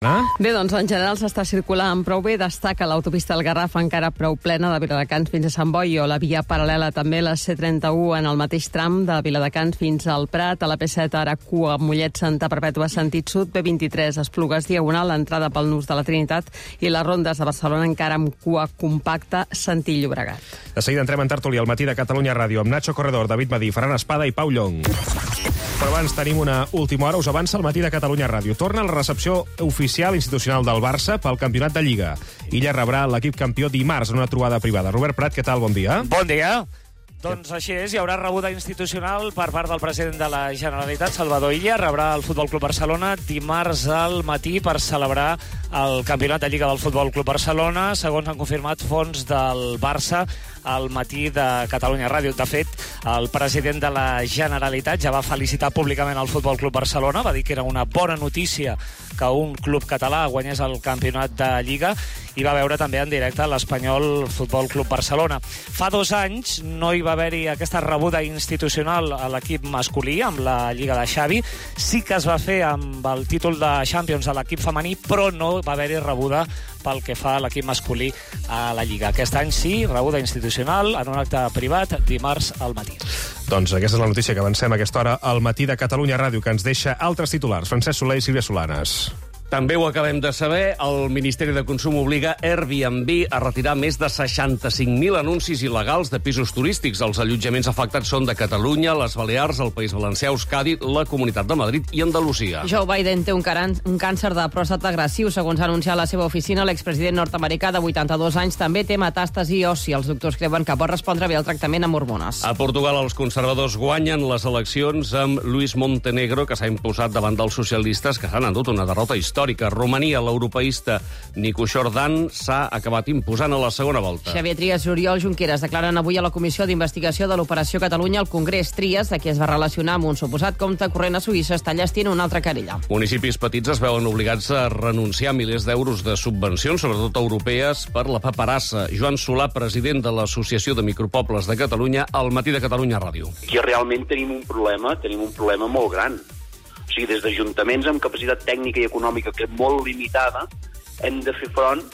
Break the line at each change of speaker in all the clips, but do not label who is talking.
Bé, doncs en general s'està circulant prou bé. Destaca l'autopista del Garraf encara prou plena de Viladecans fins a Sant Boi, o la via paral·lela també, la C31 en el mateix tram de Viladecans fins al Prat. A la P7 ara cua Mollet Santa Perpètua sentit sud, B23 Esplugues Diagonal, l'entrada pel Nus de la Trinitat, i les rondes de Barcelona encara amb cua compacta sentit Llobregat.
De seguida entrem en tertúlia al matí de Catalunya Ràdio amb Nacho Corredor, David Madí, Ferran Espada i Pau Llong. Però abans tenim una última hora, us avança el matí de Catalunya Ràdio. Torna la recepció oficial institucional del Barça pel campionat de Lliga. Illa rebrà l'equip campió dimarts en una trobada privada. Robert Prat, què tal? Bon dia.
Bon dia. Doncs així és, hi haurà rebuda institucional per part del president de la Generalitat, Salvador Illa. Rebrà el Futbol Club Barcelona dimarts al matí per celebrar el campionat de Lliga del Futbol Club Barcelona, segons han confirmat fons del Barça al matí de Catalunya Ràdio. De fet, el president de la Generalitat ja va felicitar públicament el Futbol Club Barcelona, va dir que era una bona notícia que un club català guanyés el campionat de Lliga, i va veure també en directe l'Espanyol Futbol Club Barcelona. Fa 2 anys no hi va haver-hi aquesta rebuda institucional a l'equip masculí amb la Lliga de Xavi. Sí que es va fer amb el títol de Champions a l'equip femení, però no va haver-hi rebuda pel que fa a l'equip masculí a la Lliga. Aquest any sí, rebuda institucional en un acte privat dimarts al matí.
Doncs aquesta és la notícia que avancem a aquesta hora al matí de Catalunya Ràdio, que ens deixa altres titulars. Francesc Soler i Sílvia Solanes.
També ho acabem de saber, el Ministeri de Consum obliga Airbnb a retirar més de 65.000 anuncis il·legals de pisos turístics. Els allotjaments afectats són de Catalunya, les Balears, el País Valencià, Euskadi, la Comunitat de Madrid i Andalusia.
Joe Biden té un càncer de pròstata agressiu. Segons ha anunciat la seva oficina, l'expresident nord-americà de 82 anys també té metàstasi òssia. Els doctors creuen que pot respondre bé al tractament amb hormones.
A Portugal, els conservadors guanyen les eleccions amb Luis Montenegro, que s'ha imposat davant dels socialistes, que s'han endut una derrota històrica. Romania, l'europeista Nico Jordan s'ha acabat imposant a la segona volta.
Xavier Trias i Oriol Junqueras declaren avui a la Comissió d'Investigació de l'Operació Catalunya al Congrés. Trias, de qui es va relacionar amb un suposat compte corrent a Suïssa, està llestint una altra querella.
Municipis petits es veuen obligats a renunciar a milers d'euros de subvencions, sobretot europees, per la paperassa. Joan Solà, president de l'Associació de Micropobles de Catalunya, al matí de Catalunya Ràdio.
Aquí realment tenim un problema molt gran. O sigui, des d'ajuntaments amb capacitat tècnica i econòmica que és molt limitada, hem de fer front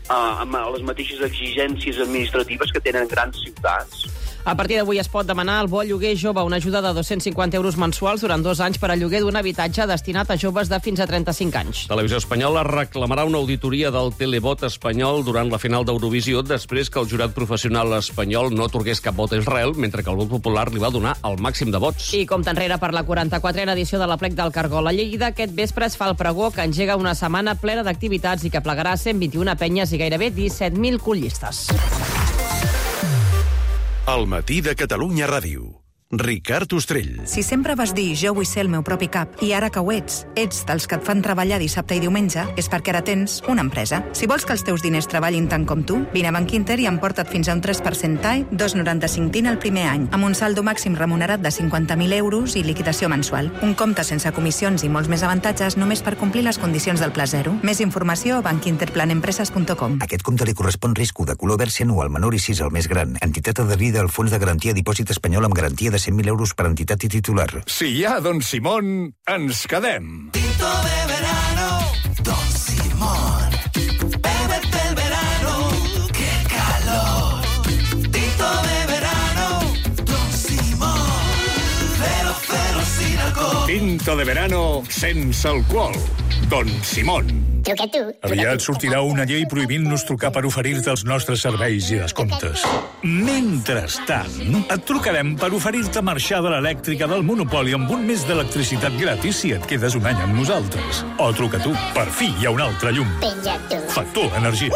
a les mateixes exigències administratives que tenen grans ciutats.
A partir d'avui es pot demanar al bo lloguer jove, una ajuda de 250 euros mensuals durant 2 anys per al lloguer d'un habitatge destinat a joves de fins a 35 anys.
Televisió Espanyola reclamarà una auditoria del televot espanyol durant la final d'Eurovisió després que el jurat professional espanyol no atorgués cap vot a Israel, mentre que el vot popular li va donar el màxim de vots.
I compta enrere per la 44a edició de l'Aplec del Cargol. A Lleida aquest vespre es fa el pregó, que engega una setmana plena d'activitats i que plegarà 121 penyes i gairebé 17.000 collistes.
El matí de Catalunya Ràdio. Ricard Ostrell.
Si sempre vas dir jo vull ser el meu propi cap i ara que ho ets dels que et fan treballar dissabte i diumenge, és perquè ara tens una empresa. Si vols que els teus diners treballin tant com tu, vine a Bankinter i emporta't fins a un 3% TAE, 2,95 TIN el primer any, amb un saldo màxim remunerat de 50.000 euros i liquidació mensual. Un compte sense comissions i molts més avantatges només per complir les condicions del Pla Zero. Més informació a bankinterplanempreses.com.
Aquest compte li correspon risc de color verd anual menor i 6 el més gran. Entitat adherida al Fons de Garantia Dipòsit Espanyol amb garantia de 100.000 euros per entitat i titular.
Si hi ha Don Simón, ens quedem.
Tinto de verano, Don Simón. Bébete el verano, qué calor. Tinto de verano, Don Simón. Cero sin alcohol.
Tinto de verano sense alcohol. Don Simón.
Aviat sortirà una llei prohibint-nos trucar per oferir-te els nostres serveis i descomptes. Mentrestant, et trucarem per oferir-te marxar de l'elèctrica del monopoli amb un mes d'electricitat gratis si et quedes un any amb nosaltres. O truca tu, per fi hi ha un altre llum. Factor Energia.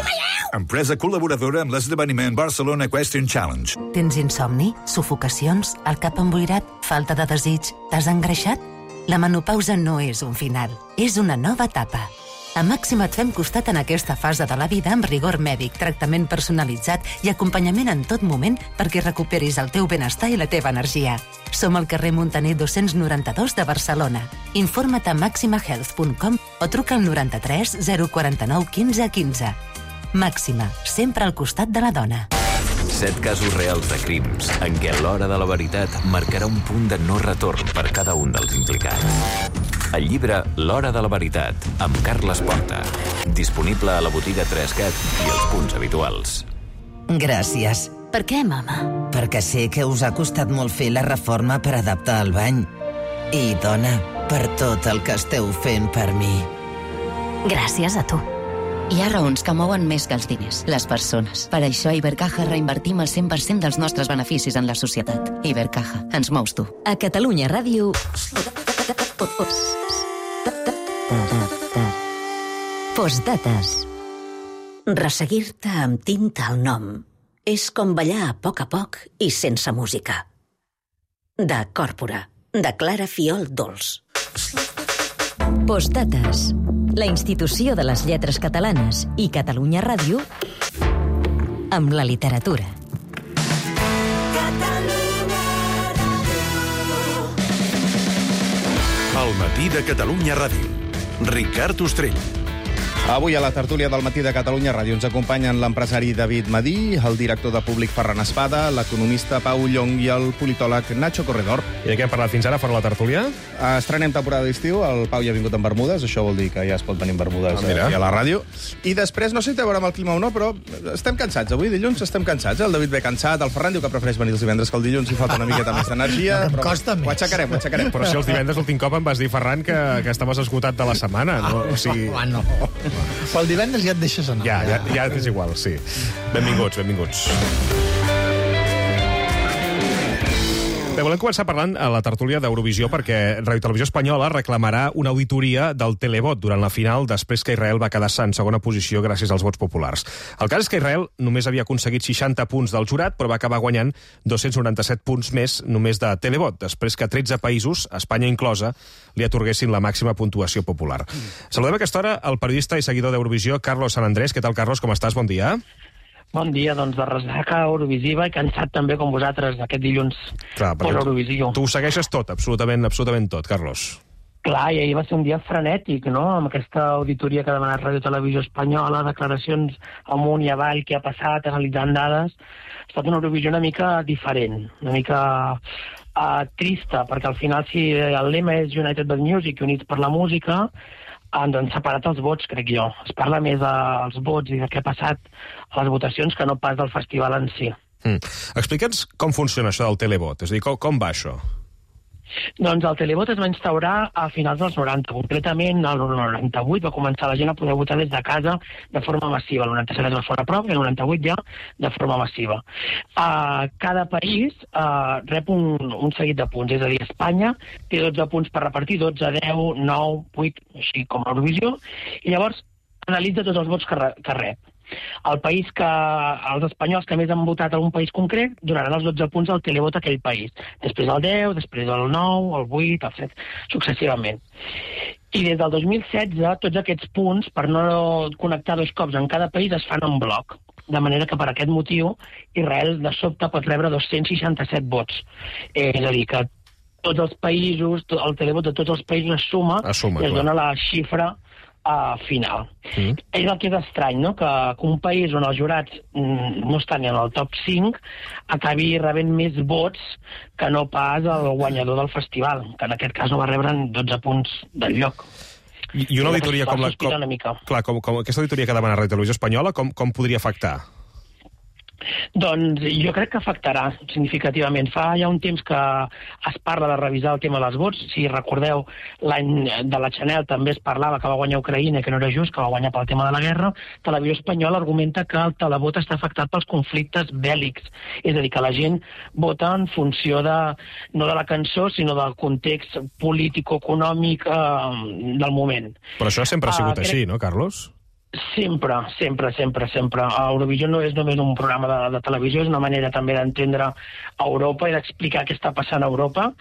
Empresa col·laboradora amb l'esdeveniment Barcelona Equestrian Challenge.
Tens insomni, sufocacions, el cap emboirat, falta de desig, t'has engreixat? La menopausa no és un final, és una nova etapa. A Màxima et fem costat en aquesta fase de la vida amb rigor mèdic, tractament personalitzat i acompanyament en tot moment perquè recuperis el teu benestar i la teva energia. Som al carrer Muntaner 292 de Barcelona. Informa't a maximahealth.com o truca al 93 049 15 15. Màxima, sempre al costat de la dona.
7 casos reals de crims en què l'hora de la veritat marcarà un punt de no retorn per cada un dels implicats. El llibre L'Hora de la Veritat, amb Carles Porta. Disponible a la botiga 3CAT i els punts habituals.
Gràcies.
Per què, mama?
Perquè sé que us ha costat molt fer la reforma per adaptar el bany. I, dona, per tot el que esteu fent per mi.
Gràcies a tu.
Hi ha raons que mouen més que els diners, les persones. Per això a Ibercaja reinvertim el 100% dels nostres beneficis en la societat. Ibercaja, ens mous tu.
A Catalunya Ràdio... Postdates. Resseguir-te amb tinta al nom és com ballar a poc i sense música. De Còrpora, de Clara Fiol Dols. Postdates. La institució de les lletres catalanes i Catalunya Ràdio amb la literatura.
El matí de Catalunya Ràdio. Ricard Ostrell.
Avui a la tertúlia del matí de Catalunya Ràdio ens acompanyen l'empresari David Madí, el director de Públic Ferran Espada, l'economista Pau Llong i el politòleg Nacho Corredor.
I de què hem parlat fins ara, fora la tertúlia?
Estrenem temporada d'estiu, el Pau ja ha vingut en bermudes, això vol dir que ja es pot venir en bermudes aquí a la ràdio. I després, no sé si té a veure amb el clima o no, però estem cansats. Avui, dilluns, estem cansats. El David ve cansat, el Ferran diu que prefereix venir els divendres que el dilluns, hi falta una miqueta més d'energia.
Em costa més.
Ho aixecarem.
Però si els divendres l'últim cop em vas dir, Ferran, que estaves esgotat de la setmana. No? O sigui...
no. Però el divendres ja et deixes anar.
Ja és igual, sí. Benvinguts. Bé, volem començar parlant a la tertúlia d'Eurovisió perquè Ràdio Televisió Espanyola reclamarà una auditoria del televot durant la final després que Israel va quedar-se en segona posició gràcies als vots populars. El cas és que Israel només havia aconseguit 60 punts del jurat, però va acabar guanyant 297 punts més només de televot, després que 13 països, Espanya inclosa, li atorguessin la màxima puntuació popular. Saludem a aquesta hora el periodista i seguidor d'Eurovisió, Carlos San Andrés. Què tal, Carlos? Com estàs? Bon dia.
Bon dia, doncs de ressaca eurovisiva i cansat també com vosaltres aquest dilluns per Eurovisió.
Tu ho segueixes tot, absolutament tot, Carlos.
Clar, i ahir va ser un dia frenètic, no?, amb aquesta auditoria que ha demanat Ràdio Televisió Espanyola, declaracions amunt i avall, què ha passat, analitzant dades. Ha estat una Eurovisió una mica diferent, una mica trista, perquè al final si el lema és United by Music, Units per la música, han separat els vots, crec jo. Es parla més dels vots i de què ha passat a les votacions que no pas del festival en si.
Explica'ns com funciona això del televot, és a dir, com va això?
Doncs el televot es va instaurar a finals dels 90. Concretament, el 98 va començar la gent a poder votar des de casa de forma massiva. El 97 es va fer una prova i el 98 ja de forma massiva. Cada país rep un seguit de punts. És a dir, Espanya té 12 punts per repartir, 12, 10, 9, 8, així com a Eurovisió, i llavors analitza tots els vots que rep. Els espanyols que més han votat a un país concret donaran els 12 punts al televot a aquell país. Després el 10, després el 9, el 8, el 7, successivament. I des del 2016, tots aquests punts, per no connectar dos cops en cada país, es fan en bloc. De manera que per aquest motiu Israel de sobte pot rebre 267 vots. És a dir, que tots els països, el televot de tots els països es suma i es dona la xifra final. És el que és estrany, no?, que un país on els jurats no estan ni en el top 5 acabi rebent més vots que no pas el guanyador del festival, que en aquest cas no va rebre 12 punts del lloc.
I una auditoria com aquesta auditoria que demana Ràdio Televisió Espanyola, com podria afectar?
Doncs jo crec que afectarà significativament. Fa ja un temps que es parla de revisar el tema dels vots. Si recordeu, l'any de la Chanel també es parlava que va guanyar Ucraïna, que no era just, que va guanyar pel tema de la guerra. Televisió Espanyola argumenta que el televot està afectat pels conflictes bèl·lics. És a dir, que la gent vota en funció no de la cançó, sinó del context polític-econòmic del moment.
Però això sempre ha sigut així, no, Carlos?
Sempre. Eurovisió no és només un programa de televisió, és una manera també d'entendre Europa i d'explicar què està passant a Europa.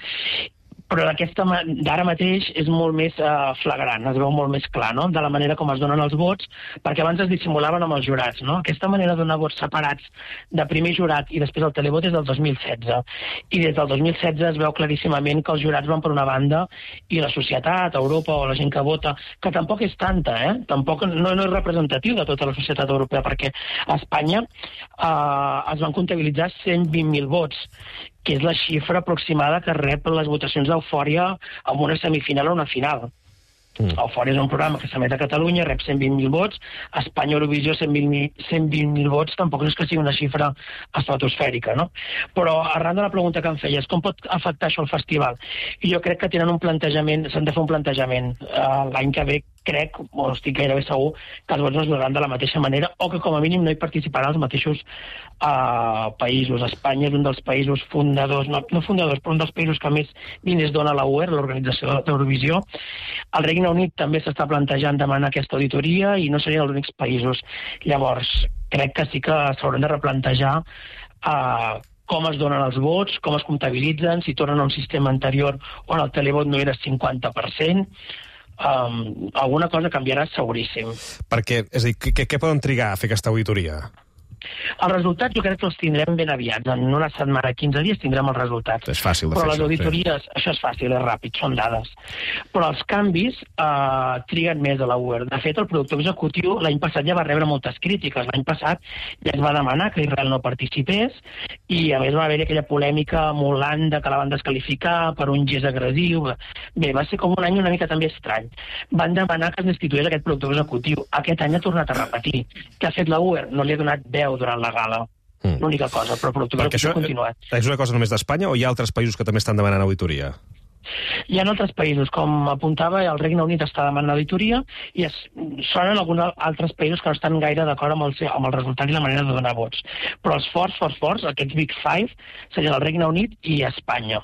Però d'ara mateix és molt més flagrant, es veu molt més clar, no?, de la manera com es donen els vots, perquè abans es dissimulaven amb els jurats, no? Aquesta manera de donar vots separats de primer jurat i després el televot és del 2016. I des del 2016 es veu claríssimament que els jurats van per una banda i la societat, Europa o la gent que vota, que tampoc és tanta, tampoc no és representatiu de tota la societat europea, perquè a Espanya es van comptabilitzar 120.000 vots que és la xifra aproximada que rep les votacions d'Eufòria en una semifinal o una final. Eufòria és un programa que s'emet a Catalunya, rep 120.000 vots, a Espanya Eurovisió 120.000 vots, tampoc és que sigui una xifra estratosfèrica, no? Però arran de la pregunta que em feies, com pot afectar això el festival? I jo crec que tenen un plantejament, s'han de fer un plantejament. L'any que ve crec, o estic gairebé segur, que els vots no es donaran de la mateixa manera o que com a mínim no hi participaran els mateixos països. Espanya és un dels països fundadors, no fundadors, però un dels països que més diners dona a la UER, l'organització d'Eurovisió. El Regne Unit també s'està plantejant demanar aquesta auditoria i no serien els únics països. Llavors, crec que sí que s'hauran de replantejar com es donen els vots, com es comptabilitzen, si tornen a un sistema anterior on el televot no era 50%, alguna cosa canviarà seguríssim.
Perquè, és a dir, què poden trigar a fer aquesta auditoria?
Els resultats jo crec que els tindrem ben aviat. En una setmana, 15 dies, tindrem els resultats.
És fàcil de fer
però
això.
Les auditories, això és fàcil, és ràpid, són dades. Però els canvis triguen més a la UER. De fet, el productor executiu l'any passat ja va rebre moltes crítiques. L'any passat ja es va demanar que Israel no participés i, a més, va haver aquella polèmica amb Holanda que la van desqualificar per un gest agressiu. Bé, va ser com un any una mica també estrany. Van demanar que es destituís aquest productor executiu. Aquest any ha tornat a repetir. Què ha fet la UER? No li ha donat veu durant la gala. L'única cosa, però el productor executiu ha continuat.
És una cosa només d'Espanya o hi ha altres països que també estan demanant auditoria?
Hi ha altres països, com apuntava, el Regne Unit està demanant auditoria i sonen alguns altres països que no estan gaire d'acord amb el resultat i la manera de donar vots. Però els forts, aquests Big Five, serien el Regne Unit i Espanya.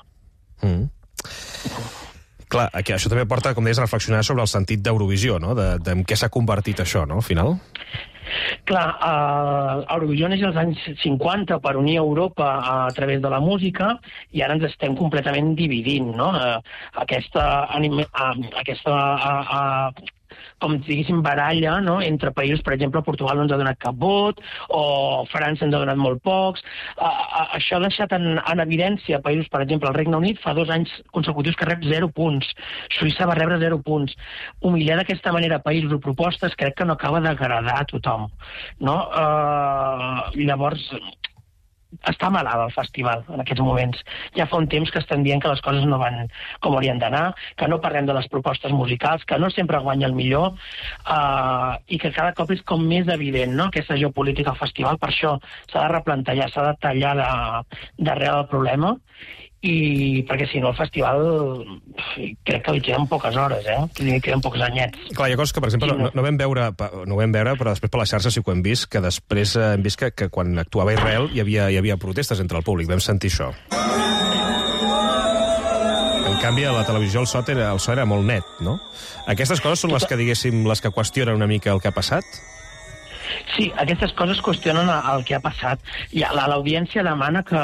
Clar, això també porta, com deies, a reflexionar sobre el sentit d'Eurovisió, no? En què s'ha convertit això, no?, al final.
Clar, Eurovisió neix als anys 50 per unir Europa a través de la música i ara ens estem completament dividint, no? Com diguéssim, baralla, no?, entre països. Per exemple, Portugal no ens ha donat cap vot, o França ens ha donat molt pocs. Això ha deixat en evidència països, per exemple, el Regne Unit fa 2 anys consecutius que rep 0 punts. Suïssa va rebre 0 punts. Humillar d'aquesta manera països o propostes crec que no acaba d'agradar a tothom, no? Llavors, està malalt el festival en aquests moments. Ja fa un temps que estan dient que les coses no van com haurien d'anar, que no parlem de les propostes musicals, que no sempre guanya el millor, i que cada cop és com més evident, no?, aquesta geopolítica al festival. Per això s'ha de replantejar, s'ha de tallar d'arrel el problema, i perquè si no el festival crec que li queden poques hores, que li queden pocs anyets.
Clar, hi ha coses que, per exemple, no ho vam veure, però després per les xarxes sí que ho hem vist, que després hem vist que quan actuava Israel hi havia protestes entre el públic, vam sentir això. En canvi, a la televisió el so era molt net, no? Aquestes coses són les que, diguéssim, les que qüestionen una mica el que ha passat?
Sí, aquestes coses qüestionen el que ha passat. L'audiència demana que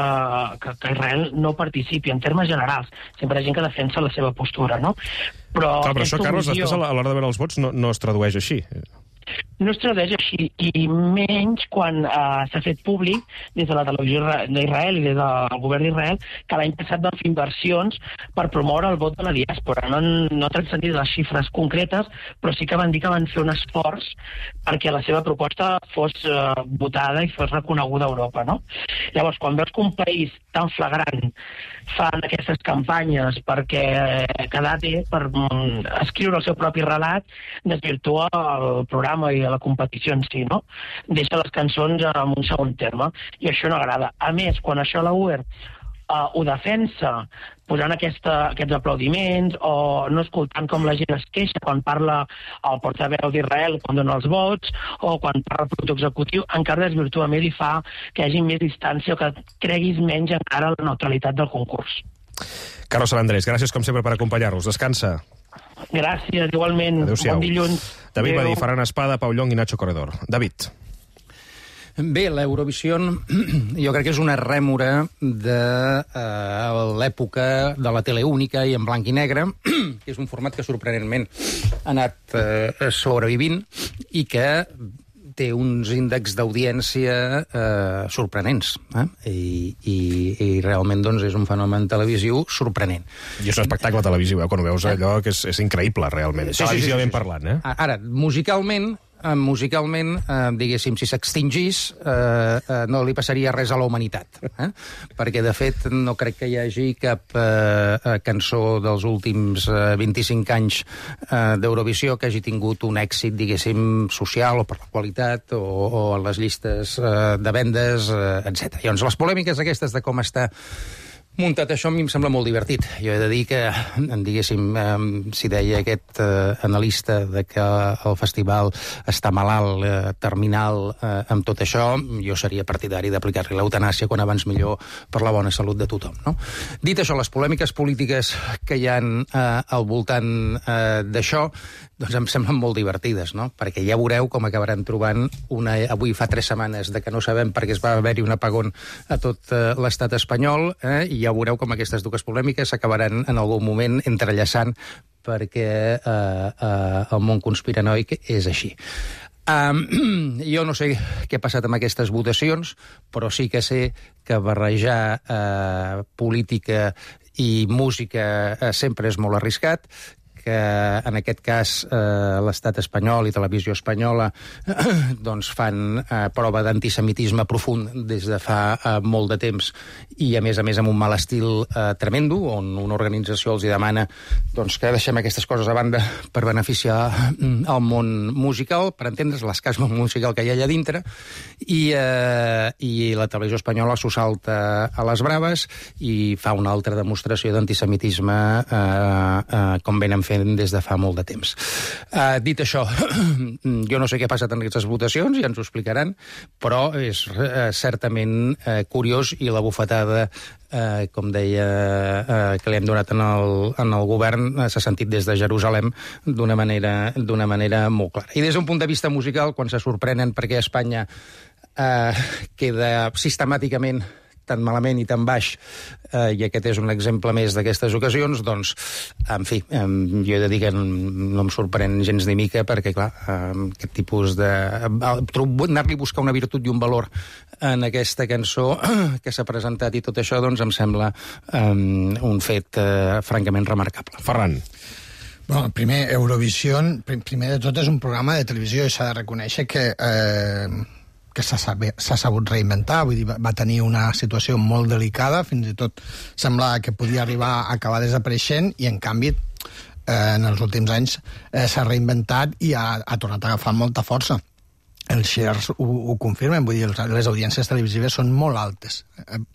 Israel no participi en termes generals. Sempre hi ha gent que defensa la seva postura, no? Però
això, Carlos, després a l'hora de veure els vots no es tradueix així.
No es tradueix així, i menys quan s'ha fet públic des de la televisió d'Israel i des del govern d'Israel que l'any passat van fer inversions per promoure el vot de la diàspora. No transcendir les xifres concretes, però sí que van dir que van fer un esforç perquè la seva proposta fos votada i fos reconeguda a Europa, no? Llavors, quan veus que un país tan flagrant fan aquestes campanyes perquè quedar bé, per escriure el seu propi relat, desvirtua el programa i la competició en si, no? Deixa les cançons en un segon terme, i això no agrada. A més, quan això la UER ho defensa posant aquests aplaudiments o no escoltant com la gent es queixa quan parla el portaveu d'Israel quan dona els vots o quan parla el productor executiu, encara desvirtua més i fa que hi hagi més distància o que creguis menys encara la neutralitat del concurs.
Carlos Salandrés, gràcies com sempre per acompanyar-nos. Descansa.
Gràcies, igualment.
Adéu-siau.
Bon dilluns.
David Badí, Ferran Espada, Pau Llong i Nacho Corredor. David.
Bé, l'Eurovisió jo crec que és una rèmora de l'època de la tele única i en blanc i negre, que és un format que sorprenentment ha anat sobrevivint i que té uns índexs d'audiència sorprenents. I realment doncs, és un fenomen televisiu sorprenent.
I és un espectacle televisiu, quan ho veus allò que és increïble, realment. Televisivament parlant,
Ara, musicalment, musicalment, diguéssim, si s'extingís, no li passaria res a la humanitat. Perquè, de fet, no crec que hi hagi cap cançó dels últims 25 anys d'Eurovisió que hagi tingut un èxit, diguéssim, social o per la qualitat o a les llistes de vendes, etc. Llavors, les polèmiques aquestes de com està muntat això a mi em sembla molt divertit. Jo he de dir que, diguéssim, si deia aquest analista de que el festival està malalt, terminal, amb tot això, jo seria partidari d'aplicar-li l'eutanàsia quan abans millor per la bona salut de tothom, no? Dit això, les polèmiques polítiques que hi ha al voltant d'això, doncs em semblen molt divertides, no? Perquè ja veureu com acabaran trobant avui fa 3 setmanes de que no sabem perquè es va haver-hi un apagón a tot l'estat espanyol, i ja veureu com aquestes dues polèmiques s'acabaran en algun moment entrellaçant perquè el món conspiranoic és així. Jo no sé què ha passat amb aquestes votacions, però sí que sé que barrejar política i música sempre és molt arriscat, que en aquest cas l'estat espanyol i Televisió Espanyola doncs fan prova d'antisemitisme profund des de fa molt de temps i a més amb un mal estil tremendo, on una organització els demana doncs, que deixem aquestes coses a banda per beneficiar el món musical, per entendre's l'escasme musical que hi ha allà dintre, i la Televisió Espanyola s'ho salta a les braves i fa una altra demostració d'antisemitisme com venen fent des de fa molt de temps. Dit això, jo no sé què ha passat en aquestes votacions, ja ens ho explicaran, però és certament curiós i la bufetada, com deia, que li hem donat en el govern s'ha sentit des de Jerusalem d'una manera molt clara. I des d'un punt de vista musical, quan se sorprenen perquè Espanya queda sistemàticament tan malament i tan baix, i aquest és un exemple més d'aquestes ocasions, doncs, en fi, jo he de dir que no em sorprèn gens ni mica, perquè, clar, aquest tipus de... anar-li a buscar una virtut i un valor en aquesta cançó que s'ha presentat i tot això, doncs, em sembla un fet francament remarcable.
Ferran.
Bueno, primer, Eurovision, primer de tot, és un programa de televisió i s'ha de reconèixer que s'ha sabut reinventar, vull dir, va tenir una situació molt delicada, fins i tot semblava que podia arribar a acabar desapareixent i, en canvi, en els últims anys s'ha reinventat i ha tornat a agafar molta força. Els shares ho confirmen, vull dir, les audiències televisives són molt altes.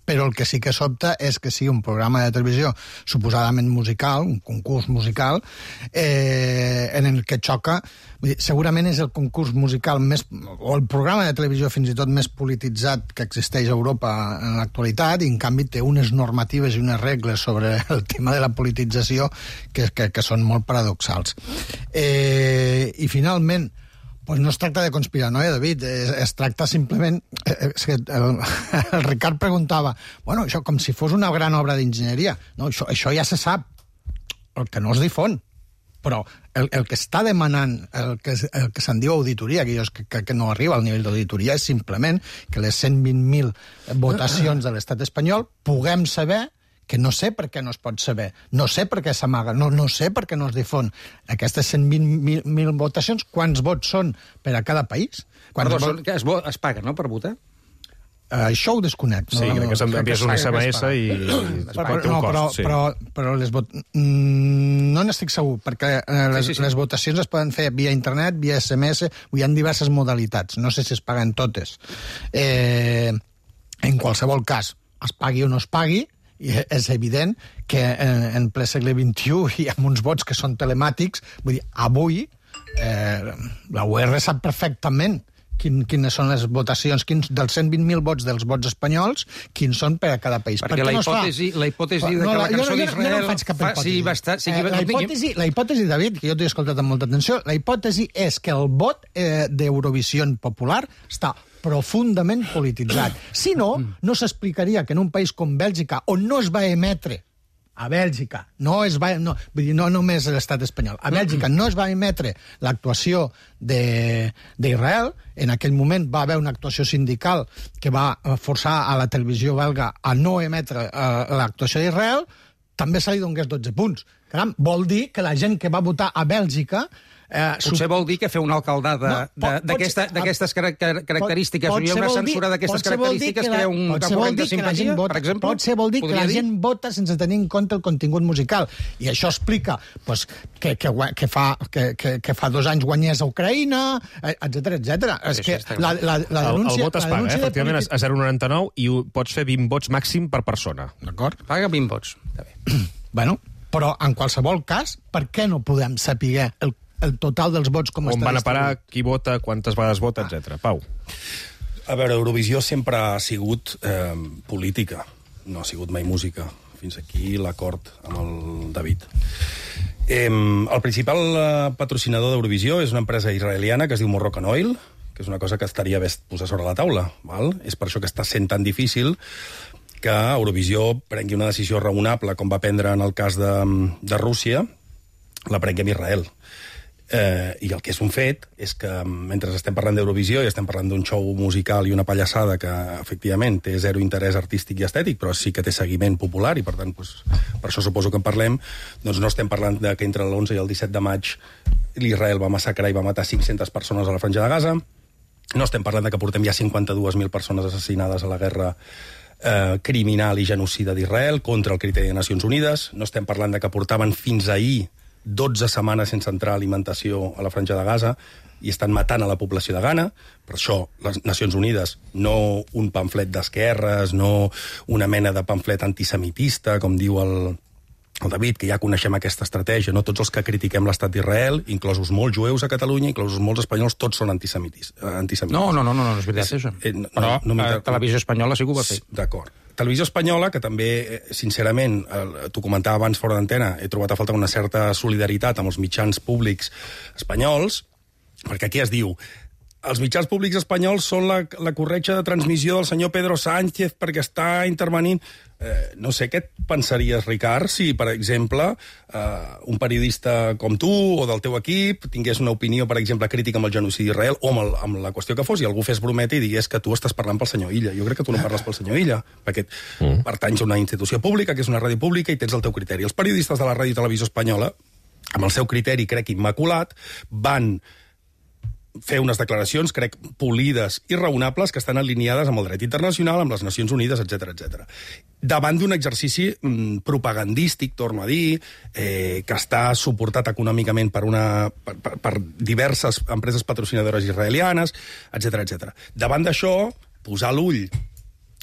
Però el que sí que sobta és que sigui un programa de televisió suposadament musical, un concurs musical, en el que xoca... Vull dir, segurament és el concurs musical més... o el programa de televisió fins i tot més polititzat que existeix a Europa en l'actualitat, i en canvi té unes normatives i unes regles sobre el tema de la politització que són molt paradoxals. I finalment, pues no es tracta de conspiranoia, David, es tracta simplement... El Ricard preguntava, bueno, això com si fos una gran obra d'enginyeria. No, això ja se sap, el que no es difon. Però el que està demanant, el que se'n diu auditoria, que no arriba al nivell d'auditoria, és simplement que les 120.000 votacions de l'estat espanyol puguem saber, que no sé per què no es pot saber, no sé per què s'amaga, no sé per què no es difon. Aquestes 120.000 votacions, quants vots són per a cada país?
Es paga, no?, per votar?
Això ho desconec.
Sí, crec que s'envies un SMS i es paga un cost.
Però no n'estic segur, perquè les votacions es poden fer via internet, via SMS, hi ha diverses modalitats. No sé si es paguen totes. En qualsevol cas, es pagui o no es pagui, i és evident que en ple segle XXI i amb uns vots que són telemàtics, vull dir, avui la UR sap perfectament quines són les votacions, dels 120.000 vots dels vots espanyols, quins són per a cada país.
Perquè la hipòtesi de que la cançó d'Israel...
Jo no faig cap hipòtesi. La hipòtesi, David, que jo t'he escoltat amb molta atenció, la hipòtesi és que el vot d'Eurovisió Popular està profundament polititzat. Si no, no s'explicaria que en un país com Bèlgica, on no es va emetre a Bèlgica, no només l'estat espanyol, a Bèlgica no es va emetre l'actuació d'Israel, en aquell moment va haver una actuació sindical que va forçar a la televisió belga a no emetre l'actuació d'Israel, també se li donés 12 punts. Caram, vol dir que la gent que va votar a Bèlgica
Potser vol dir que fer una alcaldada d'aquestes característiques i una censura d'aquestes característiques crea un corrent de simpatia, per exemple?
Potser vol dir que la gent vota sense tenir en compte el contingut musical. I això explica que fa 2 anys guanyés a Ucraïna, etc etc. És que la denúncia...
El vot es paga, efectivament, a 0,99 i pots fer 20 vots màxim per persona.
D'acord?
Paga 20 vots.
Bueno, però en qualsevol cas, per què no podem saber el total dels vots com està
distribuït? On van a parar, qui vota, quantes vegades vota, etc. Pau.
A veure, Eurovisió sempre ha sigut política, no ha sigut mai música. Fins aquí l'acord amb el David. El principal patrocinador d'Eurovisió és una empresa israeliana que es diu Moroccan Oil, que és una cosa que estaria bé posar sobre la taula. Val? És per això que està sent tan difícil que Eurovisió prengui una decisió raonable, com va prendre en el cas de Rússia, la prengui amb Israel. I el que és un fet és que mentre estem parlant d'Eurovisió i estem parlant d'un show musical i una pallassada que efectivament té zero interès artístic i estètic, però sí que té seguiment popular i per tant per això suposo que en parlem, doncs no estem parlant que entre l'11 i el 17 de maig l'Israel va massacrar i va matar 500 persones a la Franja de Gaza, no estem parlant que portem ja 52.000 persones assassinades a la guerra criminal i genocida d'Israel contra el criteri de Nacions Unides, no estem parlant que portaven fins ahir 12 setmanes sense entrar alimentació a la Franja de Gaza i estan matant a la població de Ghana. Per això les Nacions Unides, no un pamflet d'esquerres, no una mena de pamflet antisemitista, com diu el David, que ja coneixem aquesta estratègia, no? Tots els que critiquem l'estat d'Israel, inclosos molts jueus a Catalunya, inclosos molts espanyols, tots són antisemitis.
No, és veritat, això. Però Televisió Espanyola sí que ho va fer.
D'acord. Televisió Espanyola, que també, sincerament, t'ho comentava abans fora d'antena, he trobat a falta una certa solidaritat amb els mitjans públics espanyols, perquè aquí es diu els mitjans públics espanyols són la corretja de transmissió del senyor Pedro Sánchez perquè està intervenint. No sé, què et pensaries, Ricard, si, per exemple, un periodista com tu o del teu equip tingués una opinió, per exemple, crítica amb el genocidi d'Israel o amb la qüestió que fos, i algú fes brometa i digués que tu estàs parlant pel senyor Illa. Jo crec que tu no parles pel senyor Illa, perquè pertanys a una institució pública, que és una ràdio pública, i tens el teu criteri. Els periodistes de la Ràdio i Televisió Espanyola, amb el seu criteri, crec, immaculat, van fer unes declaracions, crec, polides i raonables que estan alineades amb el dret internacional, amb les Nacions Unides, etc etc. Davant d'un exercici propagandístic, torno a dir, que està suportat econòmicament per diverses empreses patrocinadores israelianes, etc etc. Davant d'això, posar l'ull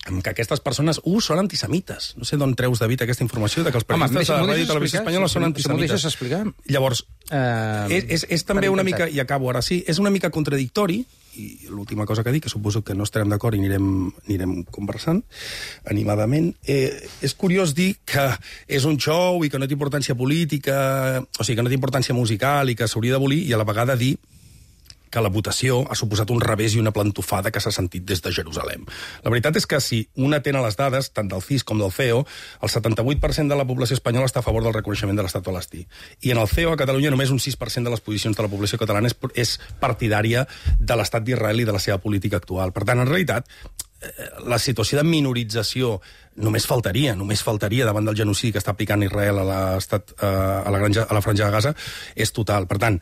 que aquestes persones, són antisemites. No sé d'on treus, David, aquesta informació de que els periodistes de la Ràdio i Televisió Espanyola són antisemites.
M'ho deixes explicar?
Llavors, és també una mica, i acabo ara sí, és una mica contradictori, i l'última cosa que dic, que suposo que no estarem d'acord i anirem conversant animadament, és curiós dir que és un show i que no té importància política, o sigui, que no té importància musical i que s'hauria d'abolir, i a la vegada dir que la votació ha suposat un revés i una plantofada que s'ha sentit des de Jerusalem. La veritat és que si un atén a les dades, tant del CIS com del CEO, el 78% de la població espanyola està a favor del reconeixement de l'estat palestí. I en el CEO, a Catalunya, només un 6% de les posicions de la població catalana és partidària de l'estat d'Israel i de la seva política actual. Per tant, en realitat, la situació de minorització només faltaria davant del genocidi que està aplicant Israel a la Franja de Gaza, és total. Per tant,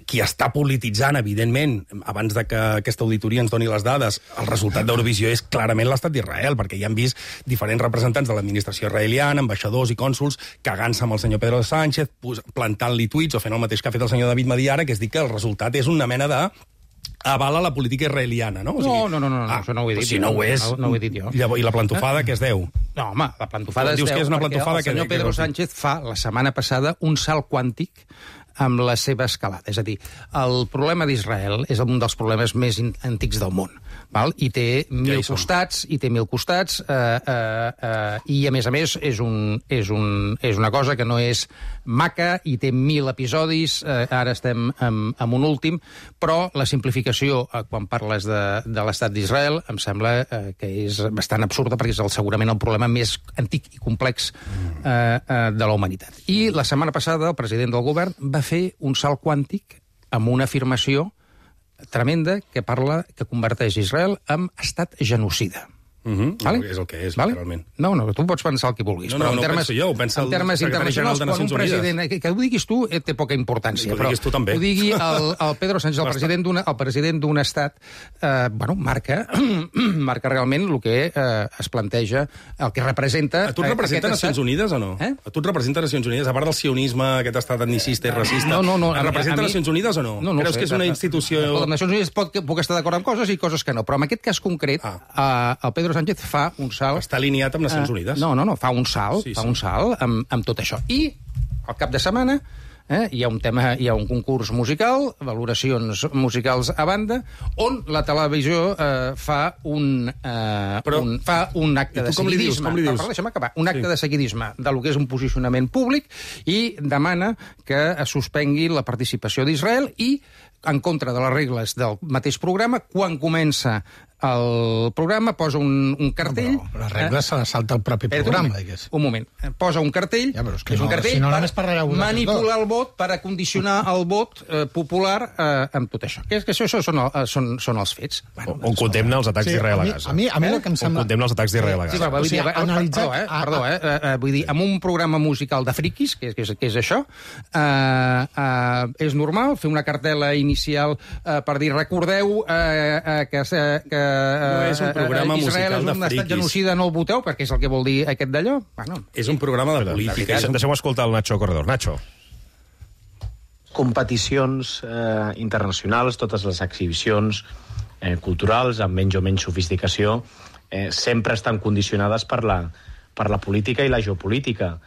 qui està polititzant, evidentment, abans de que aquesta auditoria ens doni les dades, el resultat d'Eurovisió és clarament l'estat d'Israel, perquè ja han vist diferents representants de l'administració israeliana, ambaixadors i cònsuls, cagant-se amb el senyor Pedro Sánchez, plantant-li tuits o fent el mateix que ha fet el senyor David Madí ara, que és dir que el resultat és una mena de avala la política israeliana, no?
No, això no ho he dit.
Si no ho és,
no ho he dit jo.
I la plantofada, què es deu?
No, home, la plantofada es deu
que és una plantofada
perquè el senyor Pedro Sánchez fa, la setmana passada, un salt quàntic amb la seva escalada. És a dir, el problema d'Israel és un dels problemes més antics del món, val? I té mil costats, i a més és una cosa que no és maca i té 1.000 episodis, ara estem amb un últim, però la simplificació, quan parles de l'estat d'Israel, em sembla que és bastant absurda, perquè és segurament el problema més antic i complex de la humanitat. I la setmana passada el president del govern va fer un salt quàntic amb una afirmació tremenda que converteix Israel en estat genocida. Vale?
És el que és,
Vale?
literalment.
No, tu pots pensar el que vulguis.
No,
però
no
en termes,
penso jo, ho pensa el
en termes
secretari general
internacionals,
de
quan un
Nacions Unides.
president... Que ho diguis tu té poca importància.
Que ho diguis tu també.
Ho digui el Pedro Sánchez, el president d'un estat, marca realment el que es planteja, el que representa...
A tu et representa Nacions Unides o no? A tu et representa Nacions Unides? A part del sionisme, aquest estat etnicista i racista, et representa Nacions Unides o no? Creus que és una institució...
Les Nacions Unides puc estar d'acord amb coses i coses que no, però en aquest cas concret, el Pedro Sánchez fa un salt...
Està alineat amb Nacions Unides.
No, fa un salt, amb tot això. I al cap de setmana hi ha un concurs musical, valoracions musicals a banda, on la televisió fa un acte de seguidisme. Deixa'm acabar. Un acte de seguidisme del que és un posicionament públic i demana que es suspengui la participació d'Israel i en contra de les regles del mateix programa, quan comença el programa posa un cartell...
Però les regles se les salta el propi programa, digués.
Un moment. Posa un cartell, és un cartell per manipular el vot, per acondicionar el vot popular amb tot això. Que això són els fets.
On condemna els atacs d'Israel a Gaza.
A mi el que em sembla...
On condemna els atacs d'Israel a Gaza.
Vull dir, amb un programa musical de friquis, que és això, és normal fer una cartel·la inicial per dir, recordeu que
no és un programa musical de friquis.
Israel és un estat genocida, no el voteu, perquè és el que vol dir aquest d'allò.
És un programa de política.
Deixeu-me escoltar el Nacho Corredor. Nacho.
Competicions internacionals, totes les exhibicions culturals, amb menys o menys sofisticació, sempre estan condicionades per la política i la geopolítica.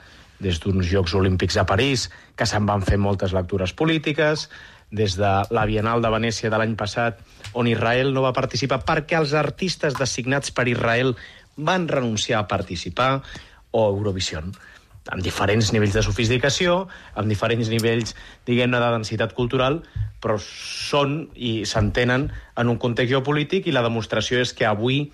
Des d'uns Jocs Olímpics a París, que se'n van fer moltes lectures polítiques, des de la Bienal de Venècia de l'any passat, on Israel no va participar perquè els artistes designats per Israel van renunciar a participar, o Eurovision, amb diferents nivells de sofisticació, amb diferents nivells, diguem-ne, de densitat cultural, però són i s'entenen en un context geopolític, i la demostració és que avui,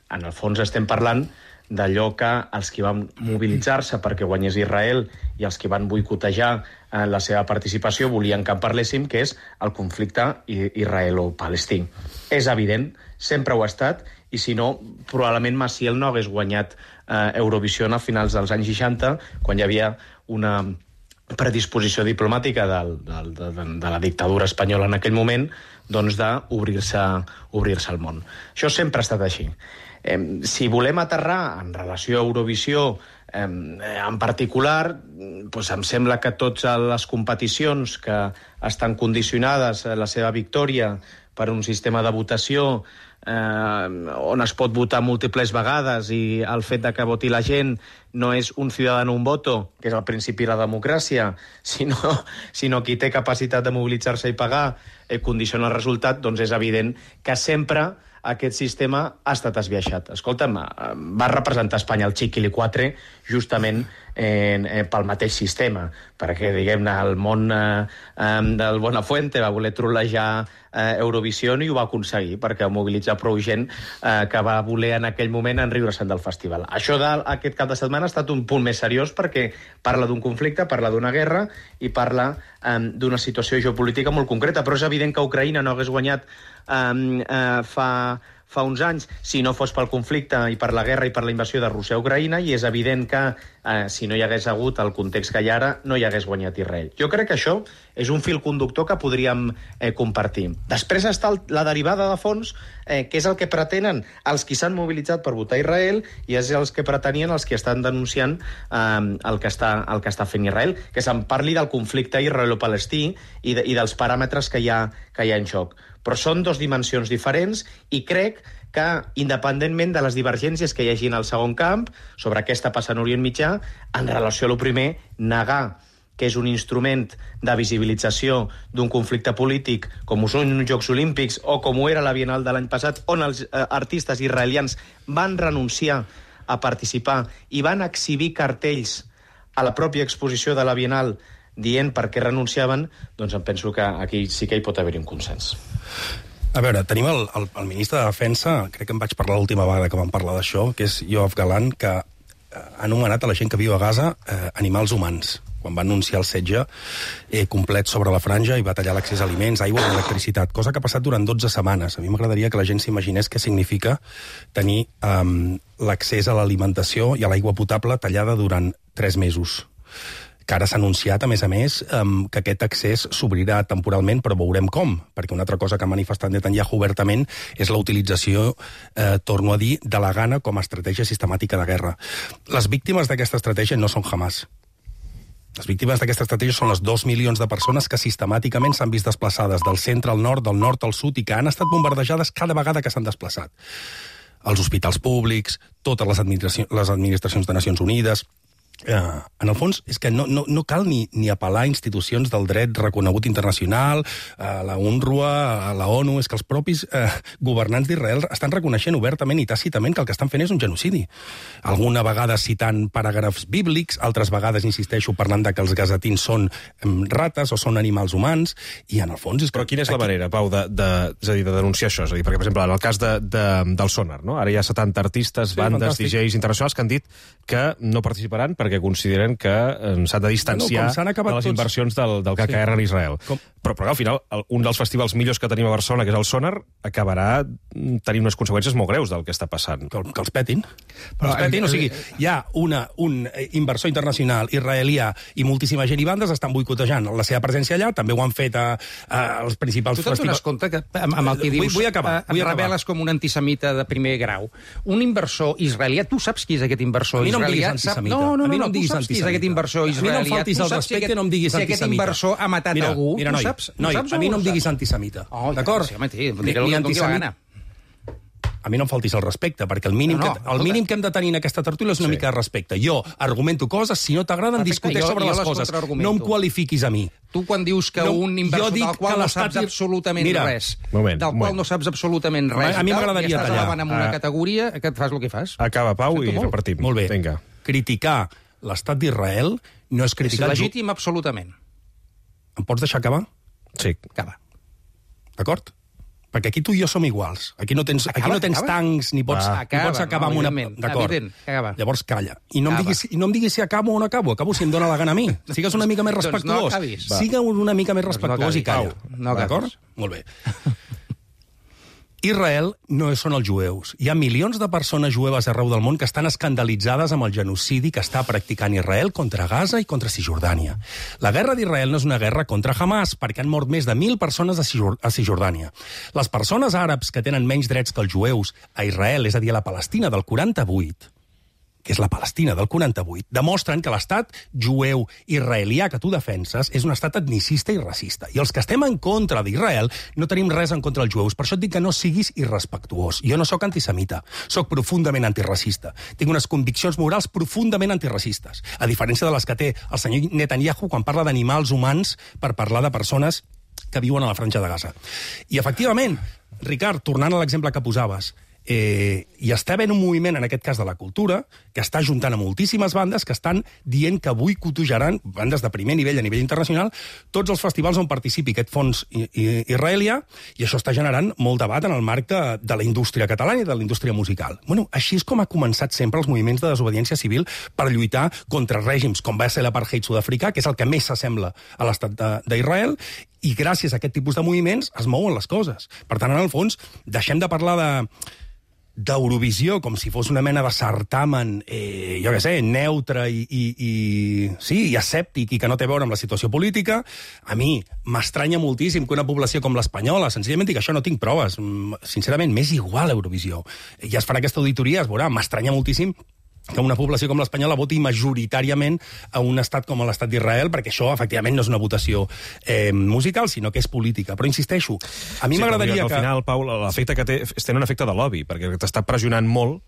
en el fons, estem parlant d'allò que els que van mobilitzar-se perquè guanyés Israel i els que van boicotejar la seva participació volien que en parléssim, que és el conflicte israelo-palestí. És evident, sempre ho ha estat, i si no, probablement Maciel no hagués guanyat Eurovision a finals dels anys 60, quan hi havia una predisposició diplomàtica de la dictadura espanyola en aquell moment, doncs d'obrir-se al món. Això sempre ha estat així. Si volem aterrar en relació a Eurovisió en particular, doncs em sembla que totes les competicions que estan condicionades a la seva victòria per un sistema de votació on es pot votar múltiples vegades i el fet de que voti la gent no és un ciudadano un voto, que és el principi de la democràcia, sinó qui té capacitat de mobilitzar-se i pagar condiciona el resultat, doncs és evident que sempre aquest sistema ha estat esbiaixat. Escolta'm, va representar Espanya el Chiquilicuatre justament pel mateix sistema, perquè, diguem-ne, el món del Buenafuente va voler trolejar Eurovision i ho va aconseguir, perquè va mobilitzar prou gent que va voler en aquell moment enriure-se'n del festival. Això d'aquest cap de setmana ha estat un punt més seriós perquè parla d'un conflicte, parla d'una guerra i parla d'una situació geopolítica molt concreta, però és evident que Ucraïna no hagués guanyat fa uns anys si no fos pel conflicte i per la guerra i per la invasió de Rússia a Ucraïna, i és evident que si no hi hagués hagut el context que hi ha ara, no hi hagués guanyat Israel. Jo crec que això és un fil conductor que podríem compartir. Després està la derivada de fons, que és el que pretenen els qui s'han mobilitzat per votar Israel i és els que pretenien els que estan denunciant el que està fent Israel, que se'n parli del conflicte israelo-palestí i dels paràmetres que hi ha en joc. Però són dues dimensions diferents i crec que, independentment de les divergències que hi hagi en el segon camp sobre què està passant a Orient Mitjà, en relació a lo primer, negar que és un instrument de visibilització d'un conflicte polític com ho són uns Jocs Olímpics o com ho era la Bienal de l'any passat, on els artistes israelians van renunciar a participar i van exhibir cartells a la pròpia exposició de la Bienal dient per què renunciaven, doncs em penso que aquí sí que hi pot haver un consens.
A veure, tenim el ministre de Defensa, crec que em vaig parlar l'última vegada que vam parlar d'això, que és Yoav Galant, que ha anomenat a la gent que viu a Gaza animals humans, quan va anunciar el setge complet sobre la franja i va tallar l'accés a aliments, aigua i electricitat, cosa que ha passat durant 12 setmanes. A mi m'agradaria que la gent s'imaginés què significa tenir l'accés a l'alimentació i a l'aigua potable tallada durant 3 mesos. Que ara s'ha anunciat, a més, que aquest accés s'obrirà temporalment, però veurem com, perquè una altra cosa que ha manifestat Netanyahu obertament és la utilització, torno a dir, de la gana com a estratègia sistemàtica de guerra. Les víctimes d'aquesta estratègia no són Hamas. Les víctimes d'aquesta estratègia són les 2 milions de persones que sistemàticament s'han vist desplaçades del centre al nord al sud, i que han estat bombardejades cada vegada que s'han desplaçat. Els hospitals públics, totes les administracions de Nacions Unides. En el fons, és que no cal ni apel·lar a institucions del dret reconegut internacional, a la UNRWA, a la ONU. És que els propis governants d'Israel estan reconeixent obertament i tàcitament que el que estan fent és un genocidi. Alguna vegada citant paràgrafs bíblics, altres vegades, insisteixo, parlant de que els gazatins són rates o són animals humans, i en el fons...
Però quina és la manera, Pau, de denunciar això? És a dir, perquè, per exemple, en el cas del Sonar, no? Ara hi ha 70 artistes, bandes, DJs internacionals que han dit que no participaran perquè consideren que s'han de distanciar de les inversions del KKR en Israel. Però al final, un dels festivals millors que tenim a Barcelona, que és el Sonar, acabarà tenint unes conseqüències molt greus del que està passant.
Que els petin. O sigui, hi ha un inversor internacional israelià i moltíssima gent i bandes estan boicotejant la seva presència allà, també ho han fet als principals festivals.
Tu t'adones compte que amb el que dius reveles com un antisemita de primer grau. Un inversor israelià, tu saps qui és aquest inversor israelià?
A mi no em diguis antisemita.
Aquest inversor israelià.
A mi no em faltis el respecte, no em diguis antisemita.
Si aquest inversor ha matat algú,
tu saps? Noi, a mi no em diguis antisemita. D'acord? Ni antisemita. A mi no em faltis el respecte, perquè el mínim que hem de tenir en aquesta tertúlia és una mica de respecte. Jo argumento coses, si no t'agraden, discuteix sobre les coses. No em qualifiquis a mi.
Tu, quan dius que un inversor del qual no saps absolutament res,
a mi m'agradaria tallar.
Estàs elevant en una categoria, que et fas el que fas.
Acaba, Pau, i repartim.
Molt bé. Criticar l'estat d'Israel no és criticar...
És legítim, absolutament.
Em pots deixar acabar?
Sí.
Acaba.
D'acord? Perquè aquí tu i jo som iguals. Aquí no tens tancs, ni pots acabar amb una... D'acord. Llavors calla. I no em diguis si acabo o no acabo. Acabo si em dóna la gana a mi. Sigues una mica més respectuós. Sigues una mica més respectuós i calla. D'acord? Molt bé. Israel no són els jueus. Hi ha milions de persones jueves arreu del món que estan escandalitzades amb el genocidi que està practicant Israel contra Gaza i contra Cisjordània. La guerra d'Israel no és una guerra contra Hamas, perquè han mort més de 1.000 persones a Cisjordània. Les persones àrabs que tenen menys drets que els jueus a Israel, és a dir, a la Palestina del 48, que és la Palestina del 48, demostren que l'estat jueu israelià que tu defenses és un estat etnicista i racista. I els que estem en contra d'Israel no tenim res en contra dels jueus. Per això et dic que no siguis irrespectuós. Jo no sóc antisemita, sóc profundament antiracista. Tinc unes conviccions morals profundament antiracistes, a diferència de les que té el senyor Netanyahu quan parla d'animals humans per parlar de persones que viuen a la franja de Gaza. I, efectivament, Ricard, tornant a l'exemple que posaves, hi està havent un moviment, en aquest cas de la cultura, que està ajuntant a moltíssimes bandes que estan dient que boicotejaran, bandes de primer nivell a nivell internacional, tots els festivals on participi aquest fons israelià, i això està generant molt debat en el marc de la indústria catalana i de la indústria musical. Bueno, així és com ha començat sempre els moviments de desobediència civil per lluitar contra règims com va ser l'apartheid sud-africà, que és el que més s'assembla a l'estat d'Israel, i gràcies a aquest tipus de moviments es mouen les coses. Per tant, en el fons, deixem de parlar d'Eurovisió com si fos una mena de certamen, jo què sé, neutre i escèptic i que no té a veure amb la situació política. A mi m'estranya moltíssim que una població com l'espanyola, senzillament dic que això no tinc proves, sincerament, m'és igual Eurovisió. Ja es farà aquesta auditoria, es veurà, m'estranya moltíssim que una població com l'espanyola voti majoritàriament a un estat com l'estat d'Israel, perquè això, efectivament, no és una votació musical, sinó que és política. Però insisteixo, a mi m'agradaria que...
Al final, Pau, l'efecte que té és tenir un efecte de lobby, perquè t'està pressionant molt,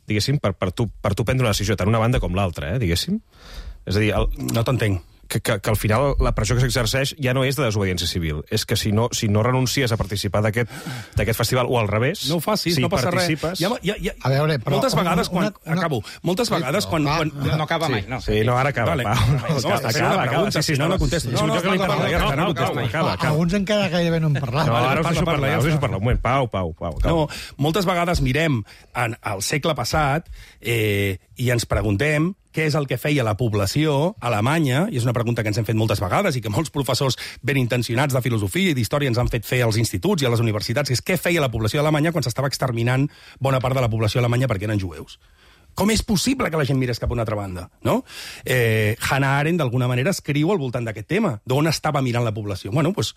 diguéssim, per tu prendre una decisió, tant una banda com l'altra, diguéssim. És a dir...
No t'entenc.
Que al final la pressió que s'exerceix ja no és de desobediència civil. És que si no renuncies a participar d'aquest festival, o al revés...
No ho facis, no passa res.
A veure, però...
Moltes vegades quan... Acabo. Moltes vegades quan...
No acaba mai, no.
Sí, no, ara acaba, Pau.
Acaba. Si no, no contesto.
Alguns encara gairebé no en parlat.
No, ara us deixo parlar. Un moment, Pau.
No, moltes vegades mirem al segle passat i ens preguntem què és el que feia la població alemanya, i és una pregunta que ens hem fet moltes vegades i que molts professors ben intencionats de filosofia i d'història ens han fet fer als instituts i a les universitats, que és què feia la població alemanya quan s'estava exterminant bona part de la població alemanya perquè eren jueus. Com és possible que la gent mirés cap a una altra banda? No? Hannah Arendt, d'alguna manera, escriu al voltant d'aquest tema, d'on estava mirant la població. Bueno, doncs,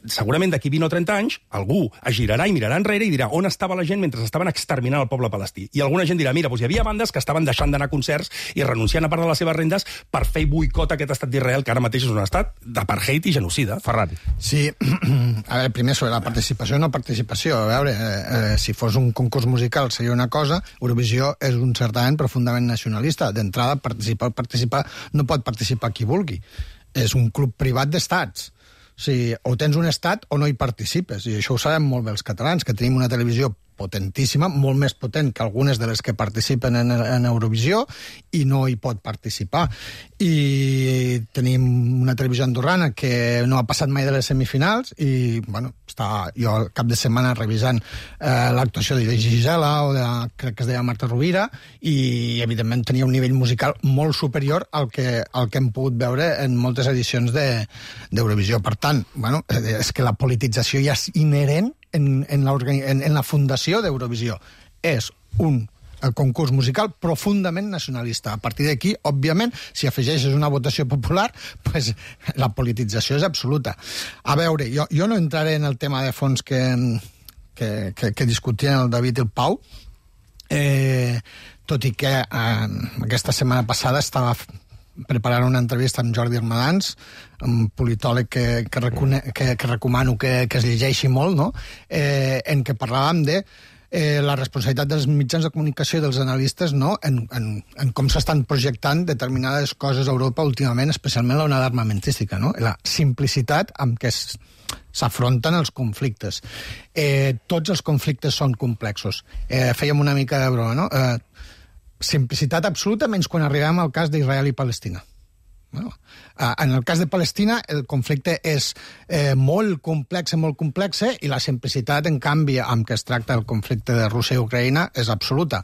segurament d'aquí 20 o 30 anys, algú es girarà i mirarà enrere i dirà on estava la gent mentre estaven exterminant el poble palestí. I alguna gent dirà, mira, doncs hi havia bandes que estaven deixant d'anar a concerts i renunciant a part de les seves rendes per fer boicot a aquest estat d'Israel, que ara mateix és un estat d'apartheid i genocida.
Ferran.
Sí, a veure, primer sobre la participació o no participació. A veure, si fos un concurs musical seria una cosa, Eurovisió és un certamen profundament nacionalista. D'entrada, participar no pot participar qui vulgui. És un club privat d'estats. O sigui, o tens un estat o no hi participes. I això ho sabem molt bé els catalans, que tenim una televisió potentíssima, molt més potent que algunes de les que participen en Eurovisió, i no hi pot participar. I tenim una televisió andorrana que no ha passat mai de les semifinals i, bueno, està jo al cap de setmana revisant l'actuació de Gisela o crec que es deia Marta Rovira, i evidentment tenia un nivell musical molt superior al que hem pogut veure en moltes edicions d'Eurovisió. Per tant, bueno, és que la politització ja és inherent en la fundació d'Eurovisió. És un concurs musical profundament nacionalista. A partir d'aquí, òbviament, si afegeixes una votació popular, pues, la politització és absoluta. A veure, jo no entraré en el tema de fons que discutien el David i el Pau, tot i que aquesta setmana passada estava preparant una entrevista amb Jordi Armadans, un politòleg que recomano que es llegeixi molt, no? En què parlàvem de la responsabilitat dels mitjans de comunicació i dels analistes, no? en com s'estan projectant determinades coses a Europa últimament, especialment l'onada armamentística, no? La simplicitat amb què s'afronten els conflictes. Tots els conflictes són complexos. Fèiem una mica de broma, no? Simplicitat absoluta, menys quan arribem al cas d'Israel i Palestina. Bueno, en el cas de Palestina el conflicte és molt complex, i la simplicitat, en canvi, amb què es tracta el conflicte de Rússia i Ucraïna és absoluta.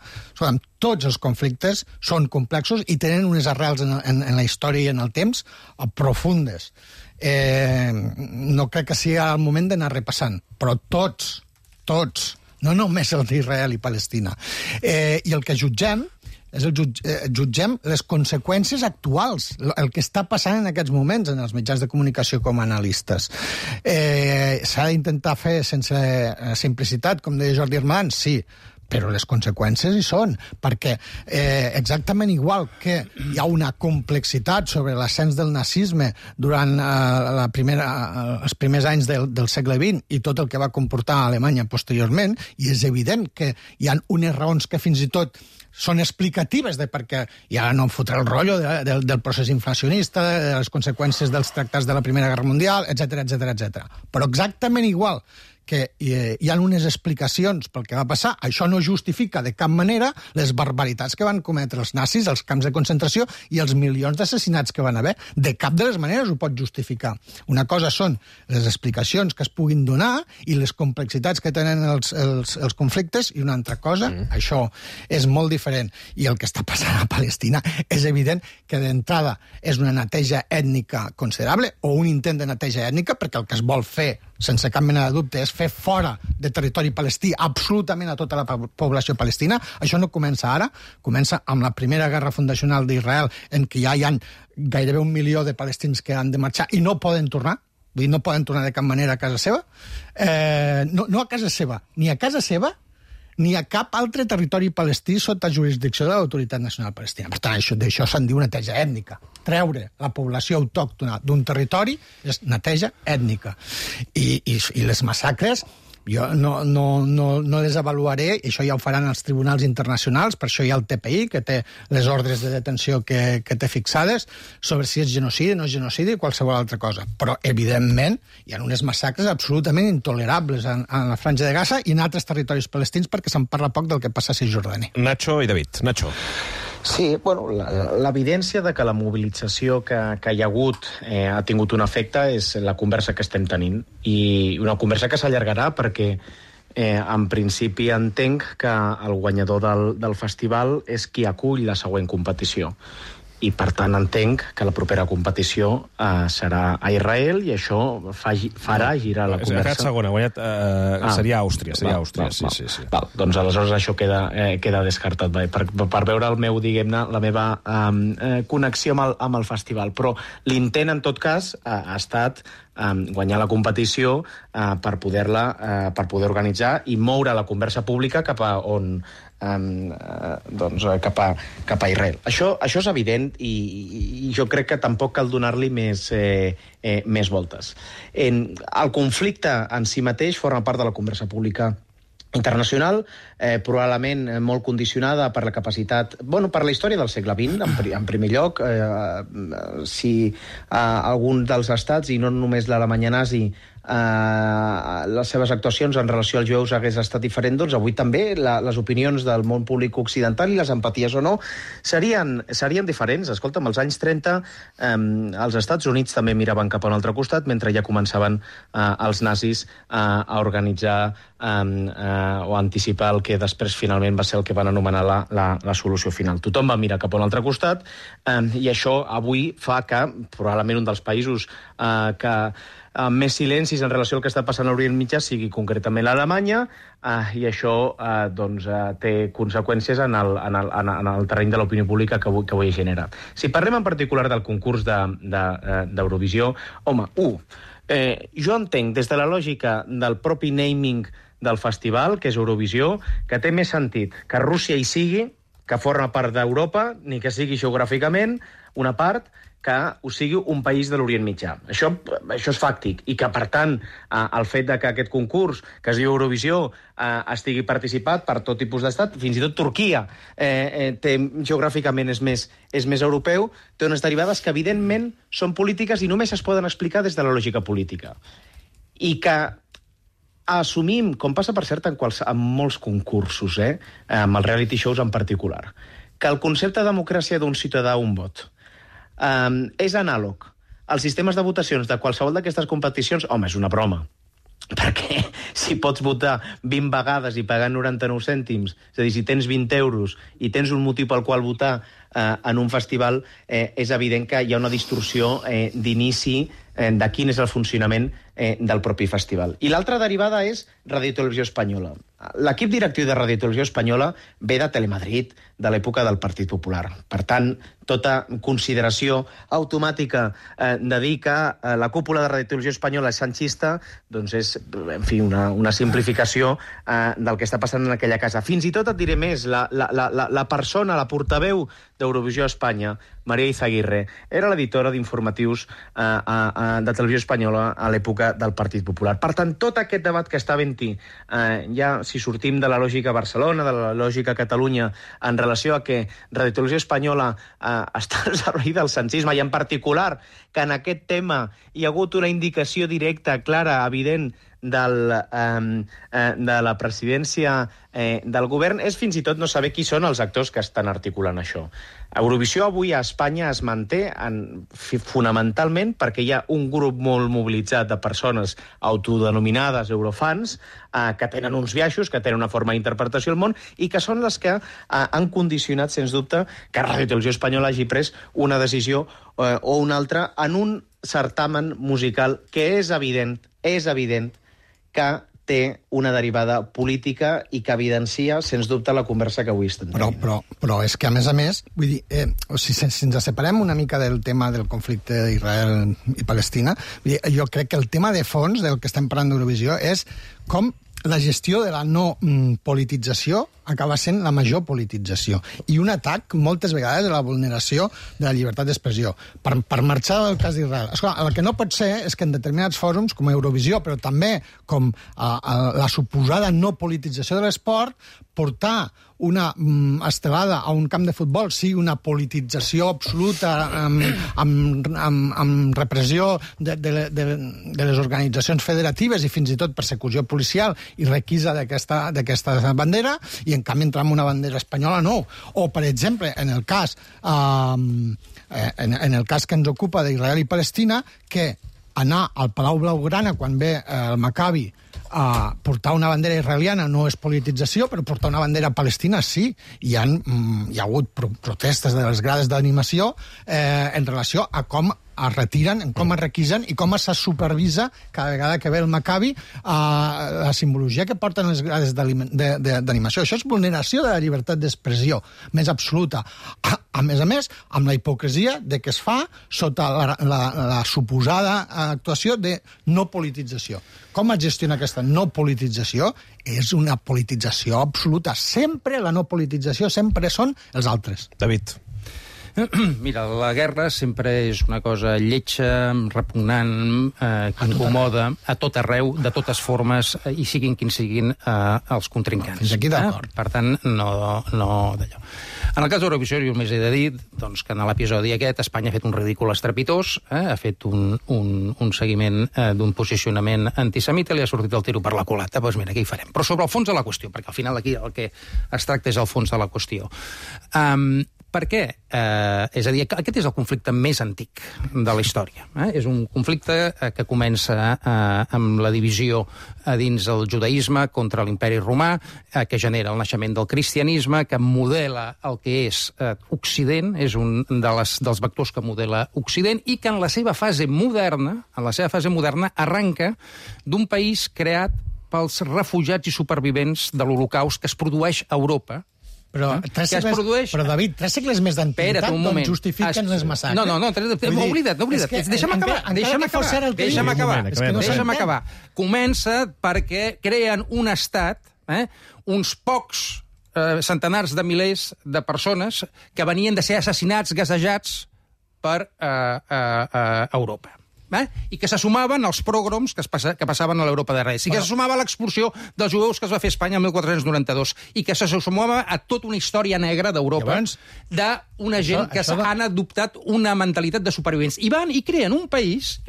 Tots els conflictes són complexos i tenen unes arrels en la història i en el temps profundes. No crec que sigui el moment d'anar repassant, però tots, no només el d'Israel i Palestina. I el que jutgem jutgem les conseqüències actuals, el que està passant en aquests moments en els mitjans de comunicació com a analistes. S'ha d'intentar fer sense simplicitat, com deia Jordi Armadans, sí, però les conseqüències hi són, perquè exactament igual que hi ha una complexitat sobre l'ascens del nazisme durant els primers anys del segle XX i tot el que va comportar a Alemanya posteriorment, i és evident que hi ha unes raons que fins i tot són explicatives de perquè, i ara no em fotré el rotllo del procés inflacionista, de les conseqüències dels tractats de la Primera Guerra Mundial, etc. Però exactament igual que hi ha unes explicacions pel que va passar, això no justifica de cap manera les barbaritats que van cometre els nazis als camps de concentració i els milions d'assassinats que van haver. De cap de les maneres ho pot justificar. Una cosa són les explicacions que es puguin donar i les complexitats que tenen els conflictes, i una altra cosa, això és molt diferent. I el que està passant a Palestina és evident que d'entrada és una neteja ètnica considerable, o un intent de neteja ètnica, perquè el que es vol fer sense cap mena de dubte, és fer fora de territori palestí absolutament a tota la població palestina. Això no comença ara, comença amb la primera guerra fundacional d'Israel, en què ja hi ha gairebé 1 milió de palestins que han de marxar i no poden tornar, vull dir, no poden tornar de cap manera a casa seva, no a casa seva, ni a casa seva, ni a cap altre territori palestí sota jurisdicció de l'Autoritat Nacional Palestina. Per tant, d'això se'n diu neteja ètnica. Treure la població autòctona d'un territori és neteja ètnica. I les massacres, jo no les avaluaré, i això ja ho faran els tribunals internacionals, per això hi ha el TPI, que té les ordres de detenció que té fixades, sobre si és genocidi, no és genocidi, qualsevol altra cosa. Però, evidentment, hi ha unes massacres absolutament intolerables en la Franja de Gaza i en altres territoris palestins, perquè se'n parla poc del que passa a Cisjordània.
Nacho i David. Nacho.
Sí, bueno, l'evidència de que la mobilització que hi ha hagut ha tingut un efecte és la conversa que estem tenint, i una conversa que s'allargarà perquè en principi entenc que el guanyador del festival és qui acull la següent competició. i per tant entenc que la propera competició serà a Israel i això farà girar la conversa.
Ha quedat segona, guanyat... Seria Àustria, sí.
Val, doncs aleshores això queda descartat, per veure el meu, diguem-ne, la meva connexió amb el festival. Però l'intent, en tot cas, ha estat guanyar la competició per poder organitzar i moure la conversa pública cap a on cap a Israel. Això és evident i jo crec que tampoc cal donar-li més voltes. El conflicte en si mateix forma part de la conversa pública internacional, probablement molt condicionada per la capacitat... per la història del segle XX, en primer lloc. Si algun dels estats, i no només l'Alemanya nazi, les seves actuacions en relació als jueus hagués estat diferent, doncs avui també les opinions del món públic occidental i les empaties o no serien diferents. Escolta'm, als anys 30 els Estats Units també miraven cap a un altre costat, mentre ja començaven els nazis a organitzar o anticipar el que després finalment va ser el que van anomenar la solució final. Tothom va mirar cap a un altre costat i això avui fa que probablement un dels països que més silencis en relació al que està passant a l'Orient Mitjà sigui concretament l'Alemanya, i això té conseqüències en el terreny de l'opinió pública que avui genera. Si parlem en particular del concurs d'Eurovisió, home, jo entenc des de la lògica del propi naming del festival, que és Eurovisió, que té més sentit que Rússia hi sigui, que forma part d'Europa, ni que sigui geogràficament una part, que ho sigui un país de l'Orient Mitjà. Això és fàctic, i que, per tant, el fet que aquest concurs, que es diu Eurovisió, estigui participat per tot tipus d'estat, fins i tot Turquia, geogràficament és més europeu, té unes derivades que, evidentment, són polítiques i només es poden explicar des de la lògica política. I que assumim, com passa, per cert, en molts concursos, amb els reality shows en particular, que el concepte de democràcia d'un ciutadà un vot és anàleg als sistemes de votacions de qualsevol d'aquestes competicions, home, és una broma. Perquè si pots votar 20 vegades i pagar 99 cèntims, és a dir, si tens 20 euros i tens un motiu pel qual votar en un festival, és evident que hi ha una distorsió d'inici de quin és el funcionament del propi festival. I l'altra derivada és Radio Televisió Espanyola. L'equip directiu de Radio Televisió Espanyola ve de Telemadrid, de l'època del Partit Popular. Per tant, tota consideració automàtica de dir que la cúpula de Radio Televisió Espanyola és sanchista, doncs és, en fi, una simplificació del que està passant en aquella casa. Fins i tot et diré més, la persona, la portaveu d'Eurovisió Espanya, Maria Izaguirre, era l'editora d'informatius de Televisió Espanyola a l'època del Partit Popular. Per tant, tot aquest debat que està havent-hi, ja si sortim de la lògica Barcelona, de la lògica Catalunya, en relació a que Radio Televisió Espanyola està al servei del sanchisme, i en particular que en aquest tema hi ha hagut una indicació directa, clara, evident, de la presidència del govern, és fins i tot no saber qui són els actors que estan articulant això. Eurovisió avui a Espanya es manté fonamentalment perquè hi ha un grup molt mobilitzat de persones autodenominades eurofans que tenen uns biaixos, que tenen una forma d'interpretació del món i que són les que han condicionat, sens dubte, que Radio Televisió Espanyola hagi pres una decisió o una altra en un certamen musical que és evident que té una derivada política i que evidencia, sens dubte, la conversa que avui estem tenint.
Però és que, a més, vull dir, si ens separem una mica del tema del conflicte d'Israel i Palestina, jo crec que el tema de fons del que estem parlant d'Eurovisió és com la gestió de la no politització acaba sent la major politització i un atac moltes vegades a la vulneració de la llibertat d'expressió. Per marxar del cas d'Israel, el que no pot ser és que en determinats fòrums, com Eurovisió, però també com la suposada no politització de l'esport, portar una estelada a un camp de futbol sigui una politització absoluta amb repressió de les organitzacions federatives i fins i tot persecució policial i requisa d'aquesta bandera, i en canvi entrar en una bandera espanyola no. O, per exemple, en el cas que ens ocupa d'Israel i Palestina, que anar al Palau Blaugrana quan ve el Maccabi portar una bandera israeliana no és politització, però portar una bandera palestina sí. Hi ha hagut protestes de les grades d'animació en relació a com es retiren, com es requisen i com se supervisa cada vegada que ve el Maccabi la simbologia que porten les grades d'animació. Això és vulneració de la llibertat d'expressió més absoluta. A més, amb la hipocresia de que es fa sota la suposada actuació de no politització. Com es gestiona aquesta no politització? És una politització absoluta. Sempre la no politització sempre són els altres.
David.
Mira, la guerra sempre és una cosa lletja, repugnant, que incomoda a tot arreu, de totes formes, i siguin quins siguin els contrincants.
Fins aquí d'acord.
Per tant, no d'allò. En el cas d'Eurovisió, jo només he de dir doncs, que en l'episodi aquest Espanya ha fet un ridícul estrepitós, ha fet un seguiment d'un posicionament antisemita i li ha sortit el tiro per la culata. Doncs mira, què hi farem? Però sobre el fons de la qüestió, perquè al final aquí el que es tracta és el fons de la qüestió. Per què? És a dir, aquest és el conflicte més antic de la història. És un conflicte que comença amb la divisió dins el judaïsme contra l'imperi romà, que genera el naixement del cristianisme, que modela el que és Occident, és un dels vectors que modela Occident, i que en la seva fase moderna, arranca d'un país creat pels refugiats i supervivents de l'Holocaust que es produeix a Europa.
Però, David, 3 segles més d'antiguitat doncs justifiquen les massacres.
No, m'ho oblida't. Deixa'm acabar. Comença perquè creen un estat, uns pocs centenars de milers de persones que venien de ser assassinats, gasejats per Europa. I que se sumaven als pogroms que passaven a l'Europa de Reis, i que se sumava a l'expulsió dels jueus que es va fer a Espanya el 1492, i que se sumava a tota una història negra d'Europa, d'una gent que han adoptat una mentalitat de supervivents. I van i creen un país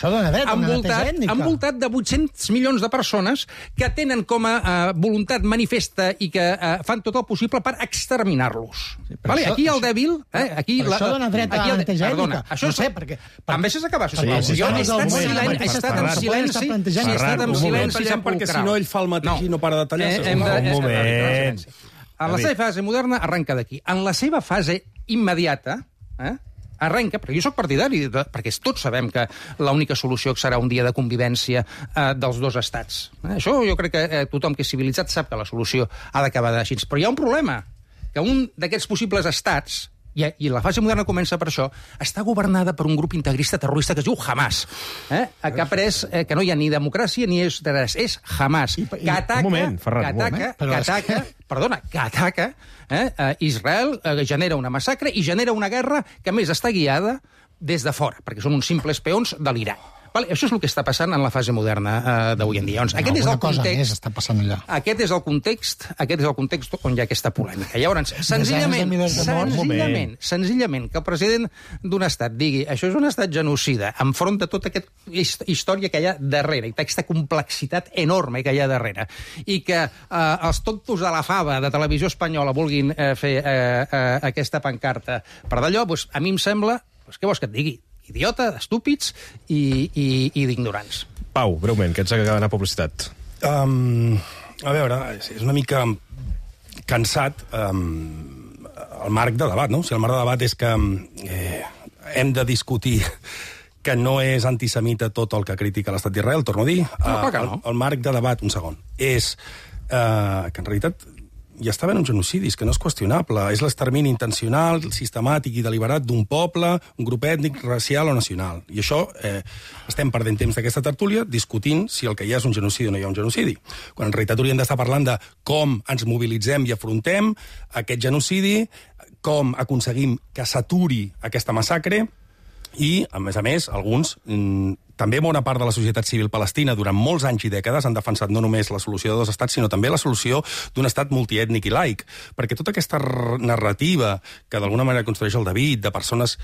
envoltat de 800 milions de persones que tenen com a voluntat manifesta i que fan tot el possible per exterminar-los. Aquí el dèbil...
Això dona dret a l'antigènica.
No sé, perquè... Em deixes acabar, sisplau. He estat en silenci sepulcral.
Perquè si no ell fa el mateix i no para de tallar.
Un moment.
En la seva fase moderna arrenca d'aquí. En la seva fase immediata arrenca, perquè jo soc partidari, perquè tots sabem que l'única solució serà un dia de convivència dels dos estats. Això jo crec que tothom que és civilitzat sap que la solució ha d'acabar així. Però hi ha un problema, que un d'aquests possibles estats, i la fase moderna comença per això, està governada per un grup integrista terrorista que es diu Hamas, que ha pres que no hi ha ni democràcia ni és res, és Hamas, que ataca Israel, genera una massacre i genera una guerra que a més està guiada des de fora, perquè són uns simples peons de l'Iran. Això és el que està passant en la fase moderna d'avui en dia. Aquest és el context.
Està passant allà.
Aquest és el context on hi ha aquesta polèmica. Llavors, senzillament, que el president d'un estat digui això és un estat genocida, enfront de tota aquesta història que hi ha darrere, i aquesta complexitat enorme que hi ha darrere, i que els tontos de la fava de Televisió Espanyola vulguin fer aquesta pancarta per d'allò, a mi em sembla, què vols que et digui? Idiota, estúpids i d'ignorants.
Pau, breument, que ets d'anar a publicitat.
A veure, és una mica cansat el marc de debat, no? O sigui, el marc de debat és que hem de discutir que no és antisemita tot el que critica l'estat d'Israel, torno a dir. El marc de debat, un segon, és que en realitat hi està havent un genocidi, que no és qüestionable. És l'extermini intencional, sistemàtic i deliberat d'un poble, un grup ètnic, racial o nacional. I això estem perdent temps d'aquesta tertúlia discutint si el que hi ha és un genocidi o no hi ha un genocidi. Quan en realitat hauríem d'estar parlant de com ens mobilitzem i afrontem aquest genocidi, com aconseguim que s'aturi aquesta massacre i, a més, alguns... També bona part de la societat civil palestina durant molts anys i dècades han defensat no només la solució de dos estats, sinó també la solució d'un estat multiètnic i laic. Perquè tota aquesta narrativa que d'alguna manera construeix el David, de persones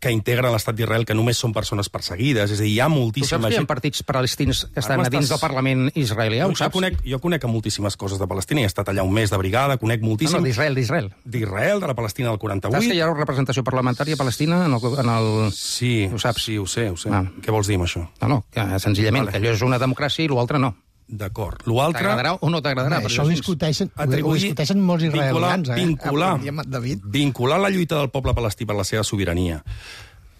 que integren l'estat d'Israel, que només són persones perseguides, és a dir, hi ha moltíssima...
Tu saps que hi ha partits palestins que estan a dins del Parlament israelià, ho saps?
Jo conec moltíssimes coses de Palestina, he estat allà un mes de brigada, conec moltíssim...
No, d'Israel.
D'Israel, de la Palestina del 48.
Saps que hi ha representació parlamentària palestina en el...
Sí, ho saps? Sí, ho sé. Què vols dir amb això? això.
No, que senzillament, que allò és una democràcia i l'altre no.
D'acord. L'altre...
T'agradarà o no t'agradarà?
Això ho discuteixen molts israelians,
Vincular la lluita del poble palestí per la seva sobirania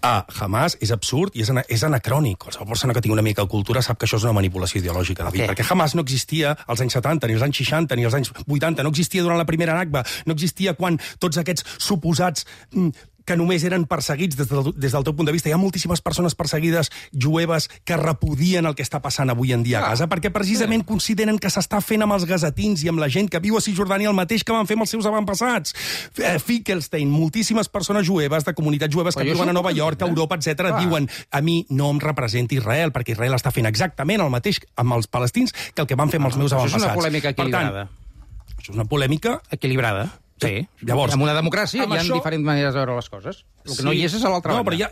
a Hamas és absurd i és anacrònic. Qualsevol persona que tingui una mica de cultura sap que això és una manipulació ideològica, David, perquè Hamas no existia als anys 70, ni als anys 60, ni als anys 80, no existia durant la primera Nakba, no existia quan tots aquests suposats que només eren perseguits des del teu punt de vista. Hi ha moltíssimes persones perseguides jueves que repudien el que està passant avui en dia a Gaza, perquè precisament consideren que s'està fent amb els gazatins i amb la gent que viu a Cisjordània el mateix que van fer amb els seus avantpassats. Finkelstein, moltíssimes persones jueves, de comunitats jueves que viuen a Nova York, a Europa, etc., diuen a mi no em representa Israel, perquè Israel està fent exactament el mateix amb els palestins que el que van fer amb els meus avantpassats.
Això és una polèmica equilibrada.
Això és una polèmica...
Equilibrada. Sí, llavors, en una democràcia hi ha diferents maneres de veure les coses. El que no hi és a l'altra banda.
No, però hi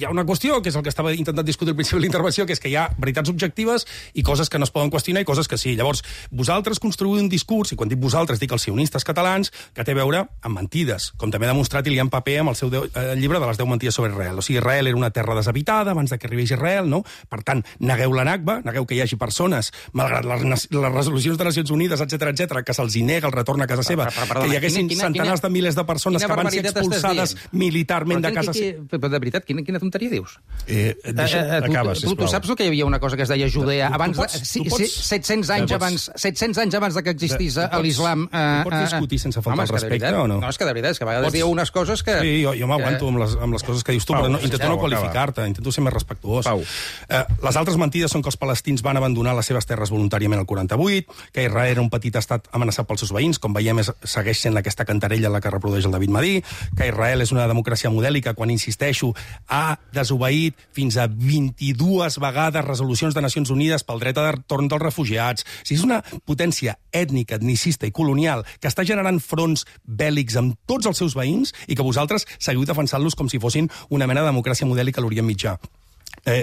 ha una qüestió, que és el que estava intentant discutir al principi de l'intervenció, que és que hi ha veritats objectives i coses que no es poden qüestionar i coses que sí. Llavors, vosaltres construïu un discurs, i quan dic vosaltres dic els sionistes catalans, que té a veure amb mentides, com també ha demostrat Ilian Pappé amb el seu llibre de les 10 mentides sobre Israel. O sigui, Israel era una terra deshabitada abans que arribés Israel, no? Per tant, negueu la Nakba, negueu que hi hagi persones, malgrat les resolucions de Nacions Unides, etc, que se'ls nega el retorn a casa seva, que hi haguessin centenars de milers de persones que van ser expulsades militarment de casa seva.
Però de veritat, quina tonteria dius?
Acaba, sisplau.
Tu saps que hi havia una cosa que es deia Judea abans 700 anys abans que existís l'islam...
Tu pots discutir sense faltar el respecte o no?
No, és que de veritat, és que a vegades dieu unes coses que...
Sí, jo m'aguanto amb les coses que dius tu, però intento no qualificar-te, intento ser més respectuós. Les altres mentides són que els palestins van abandonar les seves terres voluntàriament al 48, que Israel era un petit estat amenaçat pels seus veïns, com veiem segueix sent aquesta cantarella la que reprodueix el David Madí, que Israel és una democràcia modèlica quan, insisteixo, ha desobeït fins a 22 vegades resolucions de Nacions Unides pel dret a retorn dels refugiats. O sigui, és una potència ètnica, etnicista i colonial que està generant fronts bèl·lics amb tots els seus veïns i que vosaltres seguiu defensant-los com si fossin una mena de democràcia modèlica a l'Orient Mitjà.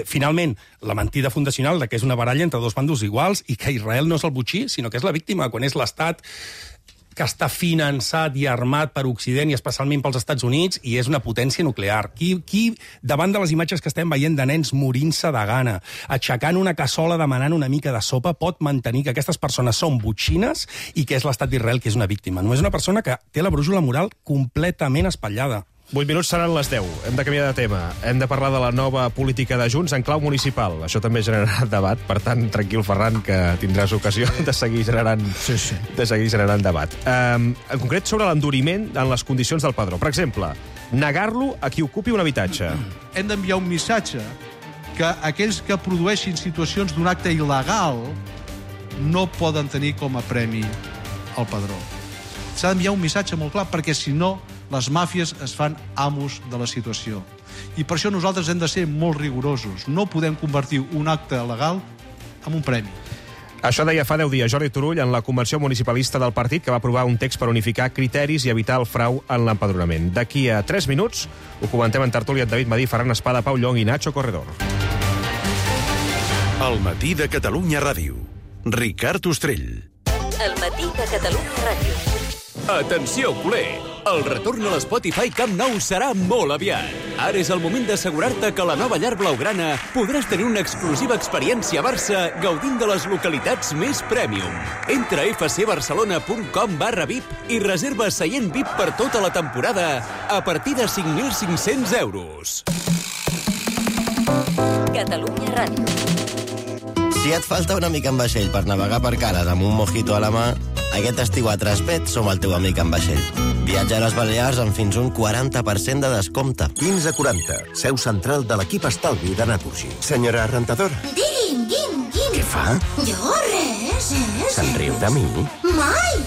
Finalment, la mentida fundacional de que és una baralla entre dos bandos iguals i que Israel no és el botxí, sinó que és la víctima, quan és l'Estat que està finançat i armat per Occident i especialment pels Estats Units i és una potència nuclear. Qui davant de les imatges que estem veient de nens morint-se de gana, aixecant una cassola demanant una mica de sopa, pot mantenir que aquestes persones són botxines i que és l'Estat d'Israel que és una víctima? Només una persona que té la brúixola moral completament espatllada.
8 minuts seran les 10. Hem de canviar de tema. Hem de parlar de la nova política de Junts en clau municipal. Això també generarà debat, per tant, tranquil, Ferran, que tindràs ocasió de seguir generant debat. En concret, sobre l'enduriment en les condicions del padró. Per exemple, negar-lo a qui ocupi un habitatge.
Hem d'enviar un missatge que aquells que produeixin situacions d'un acte il·legal no poden tenir com a premi el padró. S'ha d'enviar un missatge molt clar, perquè si no les màfies es fan amos de la situació. I per això nosaltres hem de ser molt rigorosos. No podem convertir un acte legal en un premi.
Això deia fa 10 dies Jordi Turull en la convenció municipalista del partit, que va aprovar un text per unificar criteris i evitar el frau en l'empadronament. D'aquí a 3 minuts ho comentem en tertúlia amb David Madí, Ferran Espada, Pau Llong i Nacho Corredor.
El matí de Catalunya Ràdio. Ricard Ostrell.
El matí de Catalunya Ràdio.
Atenció, culer! El retorn a l'Spotify Camp Nou serà molt aviat. Ara és el moment d'assegurar-te que a la nova llar blaugrana podràs tenir una exclusiva experiència a Barça gaudint de les localitats més prèmium. Entra a fcbarcelona.com/VIP i reserva seient VIP per tota la temporada a partir de 5.500 euros.
Catalunya Ràdio.
Si et falta una mica en vaixell per navegar per cares amb un mojito a la mà, aquest estiu a Traspet som el teu amic en vaixell. Viatja a les Balears amb fins un 40% de descompte.
1540, seu central de l'equip estalvi de Naturgy. Senyora rentador.
Digui'm.
Què fa?
Jo res.
Se'n riu de mi?
Mai.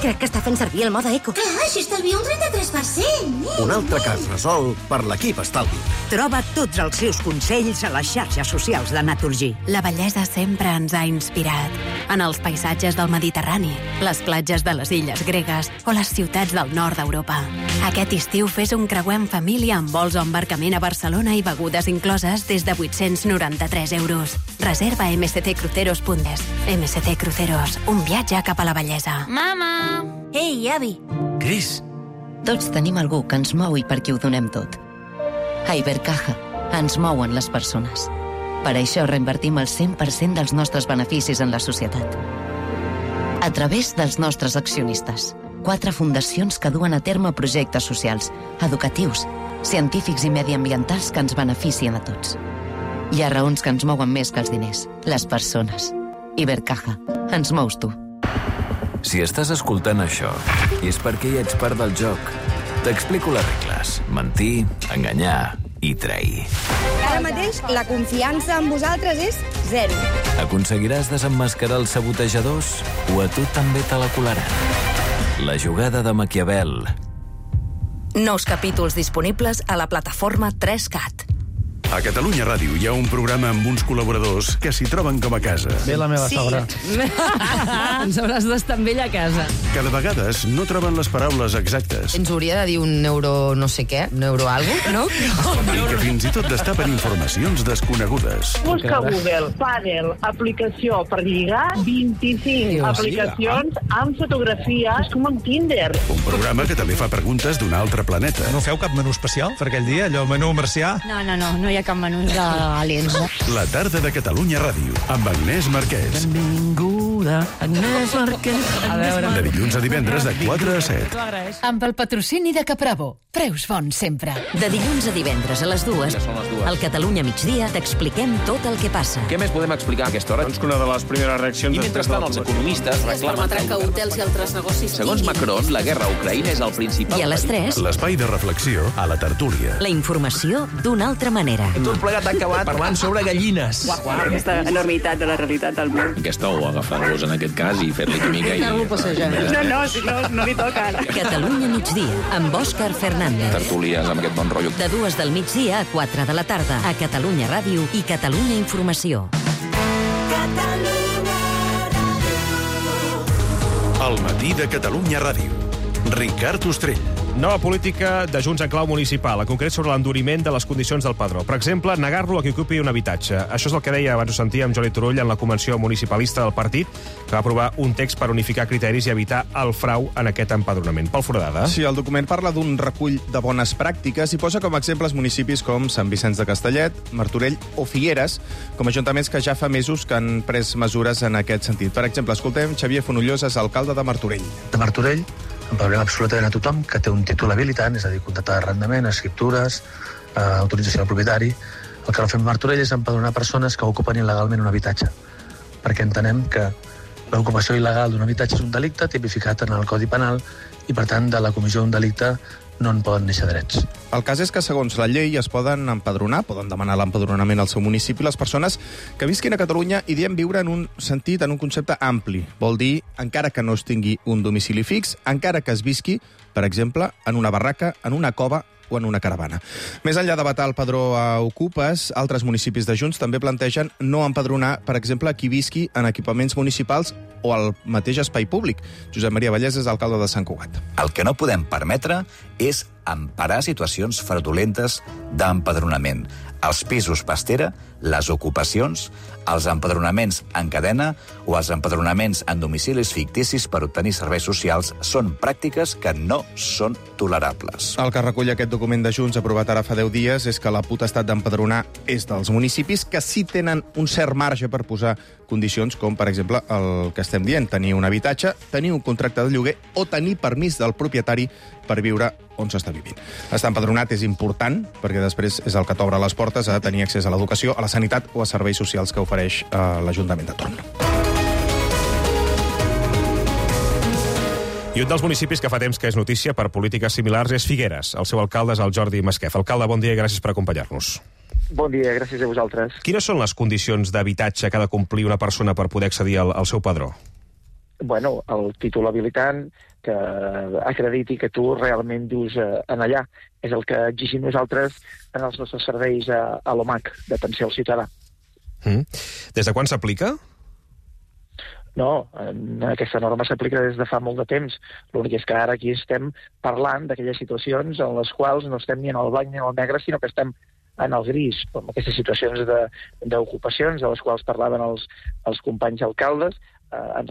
Crec que està fent servir el mode eco.
Clar, així estalvia un 33%.
Un altre cas resolt per l'equip estalvi.
Troba tots els seus consells a les xarxes socials de Naturgy.
La bellesa sempre ens ha inspirat. En els paisatges del Mediterrani, les platges de les illes gregues o les ciutats del nord d'Europa. Aquest estiu fes un creuer en família amb vols o embarcament a Barcelona i begudes incloses des de 893 euros. Reserva a msccruceros.es. MSC Cruceros, un viatge cap a la bellesa.
Mama! Ei, avi!
Cris! Tots tenim algú que ens mou i per qui ho donem tot. A Ibercaja ens mouen les persones. Per això reinvertim el 100% dels nostres beneficis en la societat. A través dels nostres accionistes. 4 fundacions que duen a terme projectes socials, educatius, científics i mediambientals que ens beneficien a tots. Hi ha raons que ens mouen més que els diners, les persones. Ibercaja, ens mous tu.
Si estàs escoltant això, és perquè ja ets part del joc. T'explico les regles. Mentir, enganyar i trair.
Ara mateix, la confiança en vosaltres és 0.
Aconseguiràs desemmascarar els sabotejadors o a tu també te la colaran? La jugada de Maquiavel.
Nous capítols disponibles a la plataforma 3CAT.
A Catalunya Ràdio hi ha un programa amb uns col·laboradors que s'hi troben com a casa.
Ve la meva sogra.
Ens hauràs d'estar amb ell a casa.
Que de vegades no troben les paraules exactes.
Ens hauria de dir un euro no sé què, un euro algo, no?
I que fins i tot destapen informacions desconegudes.
Busca Google, pàdel, aplicació per lligar, 25 aplicacions amb fotografia. És com amb Tinder.
Un programa que també fa preguntes d'un altre planeta.
No feu cap menú especial per aquell dia, allò menú marcià?
No hi ha cap menú d'aliens.
La tarda de Catalunya Ràdio, amb Agnès Marquès.
Benvinguda, Agnès Marquès. A veure...
De dilluns a divendres de 4 a 7.
Amb el patrocini de Capravo. Preus bons sempre. De dilluns a divendres a les 2, al Catalunya Migdia t'expliquem tot el que passa.
Què més podem explicar a aquesta hora?
Doncs que una de les primeres reaccions...
I mentrestant els economistes reclamen...
que hotels i altres negocis...
Segons Macron, la guerra a Ucraïna és el principal...
I a les 3...
L'espai de reflexió a la tertúlia.
La informació d'una altra manera.
Tot plegat ha acabat parlant sobre gallines.
Aquesta enormitat de la realitat del món.
Aquesta o agafar-los en aquest cas i fer-li química i...
No li toca ara. Catalunya Migdia, amb Òscar Fernández.
Tertúlies amb aquest bon rotllo.
De 2 del migdia a 4 de la tarda, a Catalunya Ràdio i Catalunya Informació.
El matí de Catalunya Ràdio. Ricard Ostrell.
Nova política de Junts en clau municipal, en concret sobre l'enduriment de les condicions del padró. Per exemple, negar-lo a qui ocupi un habitatge. Això és el que deia, abans ho sentíem, Jordi Turull en la convenció municipalista del partit, que va aprovar un text per unificar criteris i evitar el frau en aquest empadronament. Pol Foradada.
Sí, el document parla d'un recull de bones pràctiques i posa com a exemples municipis com Sant Vicenç de Castellet, Martorell o Figueres, com a ajuntaments que ja fa mesos que han pres mesures en aquest sentit. Per exemple, escoltem Xavier Fonollós, alcalde de Martorell.
De Martorell empadronem absolutament a tothom que té un títol habilitant, és a dir, contracte d'arrendament, escriptures, autorització del propietari. El que no fem a Martorell és empadronar persones que ocupen il·legalment un habitatge, perquè entenem que l'ocupació il·legal d'un habitatge és un delicte tipificat en el Codi Penal i, per tant, de la comissió d'un delicte no en poden néixer drets.
El cas és que, segons la llei, es poden empadronar, poden demanar l'empadronament al seu municipi les persones que visquin a Catalunya i diem viure en un sentit, en un concepte ampli. Vol dir, encara que no es tingui un domicili fix, encara que es visqui, per exemple, en una barraca, en una cova o en una caravana. Més enllà de vetar el padró a ocupes, altres municipis de Junts també plantegen no empadronar, per exemple, qui visqui en equipaments municipals o al mateix espai públic. Josep Maria Vallès és alcalde de Sant Cugat.
El que no podem permetre és emparar situacions fraudulentes d'empadronament. Els pisos pastera, les ocupacions, els empadronaments en cadena o els empadronaments en domicilis ficticis per obtenir serveis socials són pràctiques que no són tolerables.
El que recull aquest document de Junts aprovat ara fa 10 dies és que la potestat d'empadronar és dels municipis que sí tenen un cert marge per posar condicions com, per exemple, el que estem dient, tenir un habitatge, tenir un contracte de lloguer o tenir permís del propietari per viure on s'està vivint. Estar empadronat és important perquè després és el que t'obre les portes a tenir accés a l'educació, a la sanitat o a serveis socials que ofereix l'Ajuntament de torn.
I un dels municipis que fa temps que és notícia per polítiques similars és Figueres. El seu alcalde és el Jordi Masquef. Alcalde, bon dia i gràcies per acompanyar-nos.
Bon dia, gràcies a vosaltres.
Quines són les condicions d'habitatge que ha de complir una persona per poder accedir al seu padró?
Bueno, el títol habilitant que acrediti que tu realment vius en allà. És el que exigim nosaltres en els nostres serveis a l'OMAC, d'atenció al ciutadà.
Des de quan s'aplica?
No, aquesta norma s'aplica des de fa molt de temps. L'únic és que ara aquí estem parlant d'aquelles situacions en les quals no estem ni en el blanc ni en el negre, sinó que estem en el gris, com aquestes situacions d'ocupacions de les quals parlaven els companys alcaldes,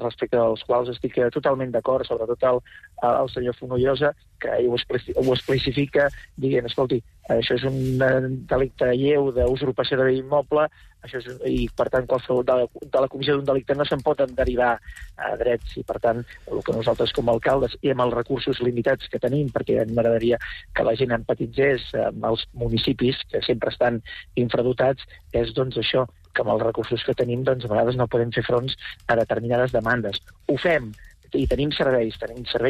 respecte dels quals estic totalment d'acord, sobretot el senyor Fonollosa, que ell ho especifica dient, escolti, això és un delicte lleu d'usurpació de bé immoble, i per tant qualsevol de la comissió d'un delicte no se'n pot derivar a drets, i per tant el que nosaltres com a alcaldes i amb els recursos limitats que tenim, perquè m'agradaria que la gent empatitzés amb els municipis que sempre estan infradotats, és doncs això, que amb els recursos que tenim doncs a vegades no podem fer fronts a determinades demandes. Ho fem, i tenim serveis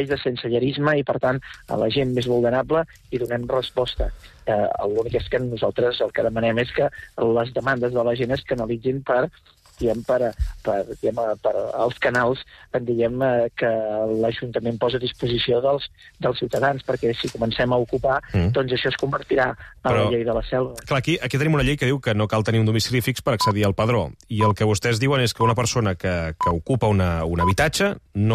de sensellerisme i, per tant, a la gent més vulnerable hi donem resposta. L'únic és que nosaltres el que demanem és que les demandes de la gent es canalitzin per als canals que l'Ajuntament posa a disposició dels ciutadans, perquè si comencem a ocupar, doncs això es convertirà en la llei de la selva.
Clar, aquí tenim una llei que diu que no cal tenir un domicili fix per accedir al padró, i el que vostès diuen és que una persona que ocupa un habitatge no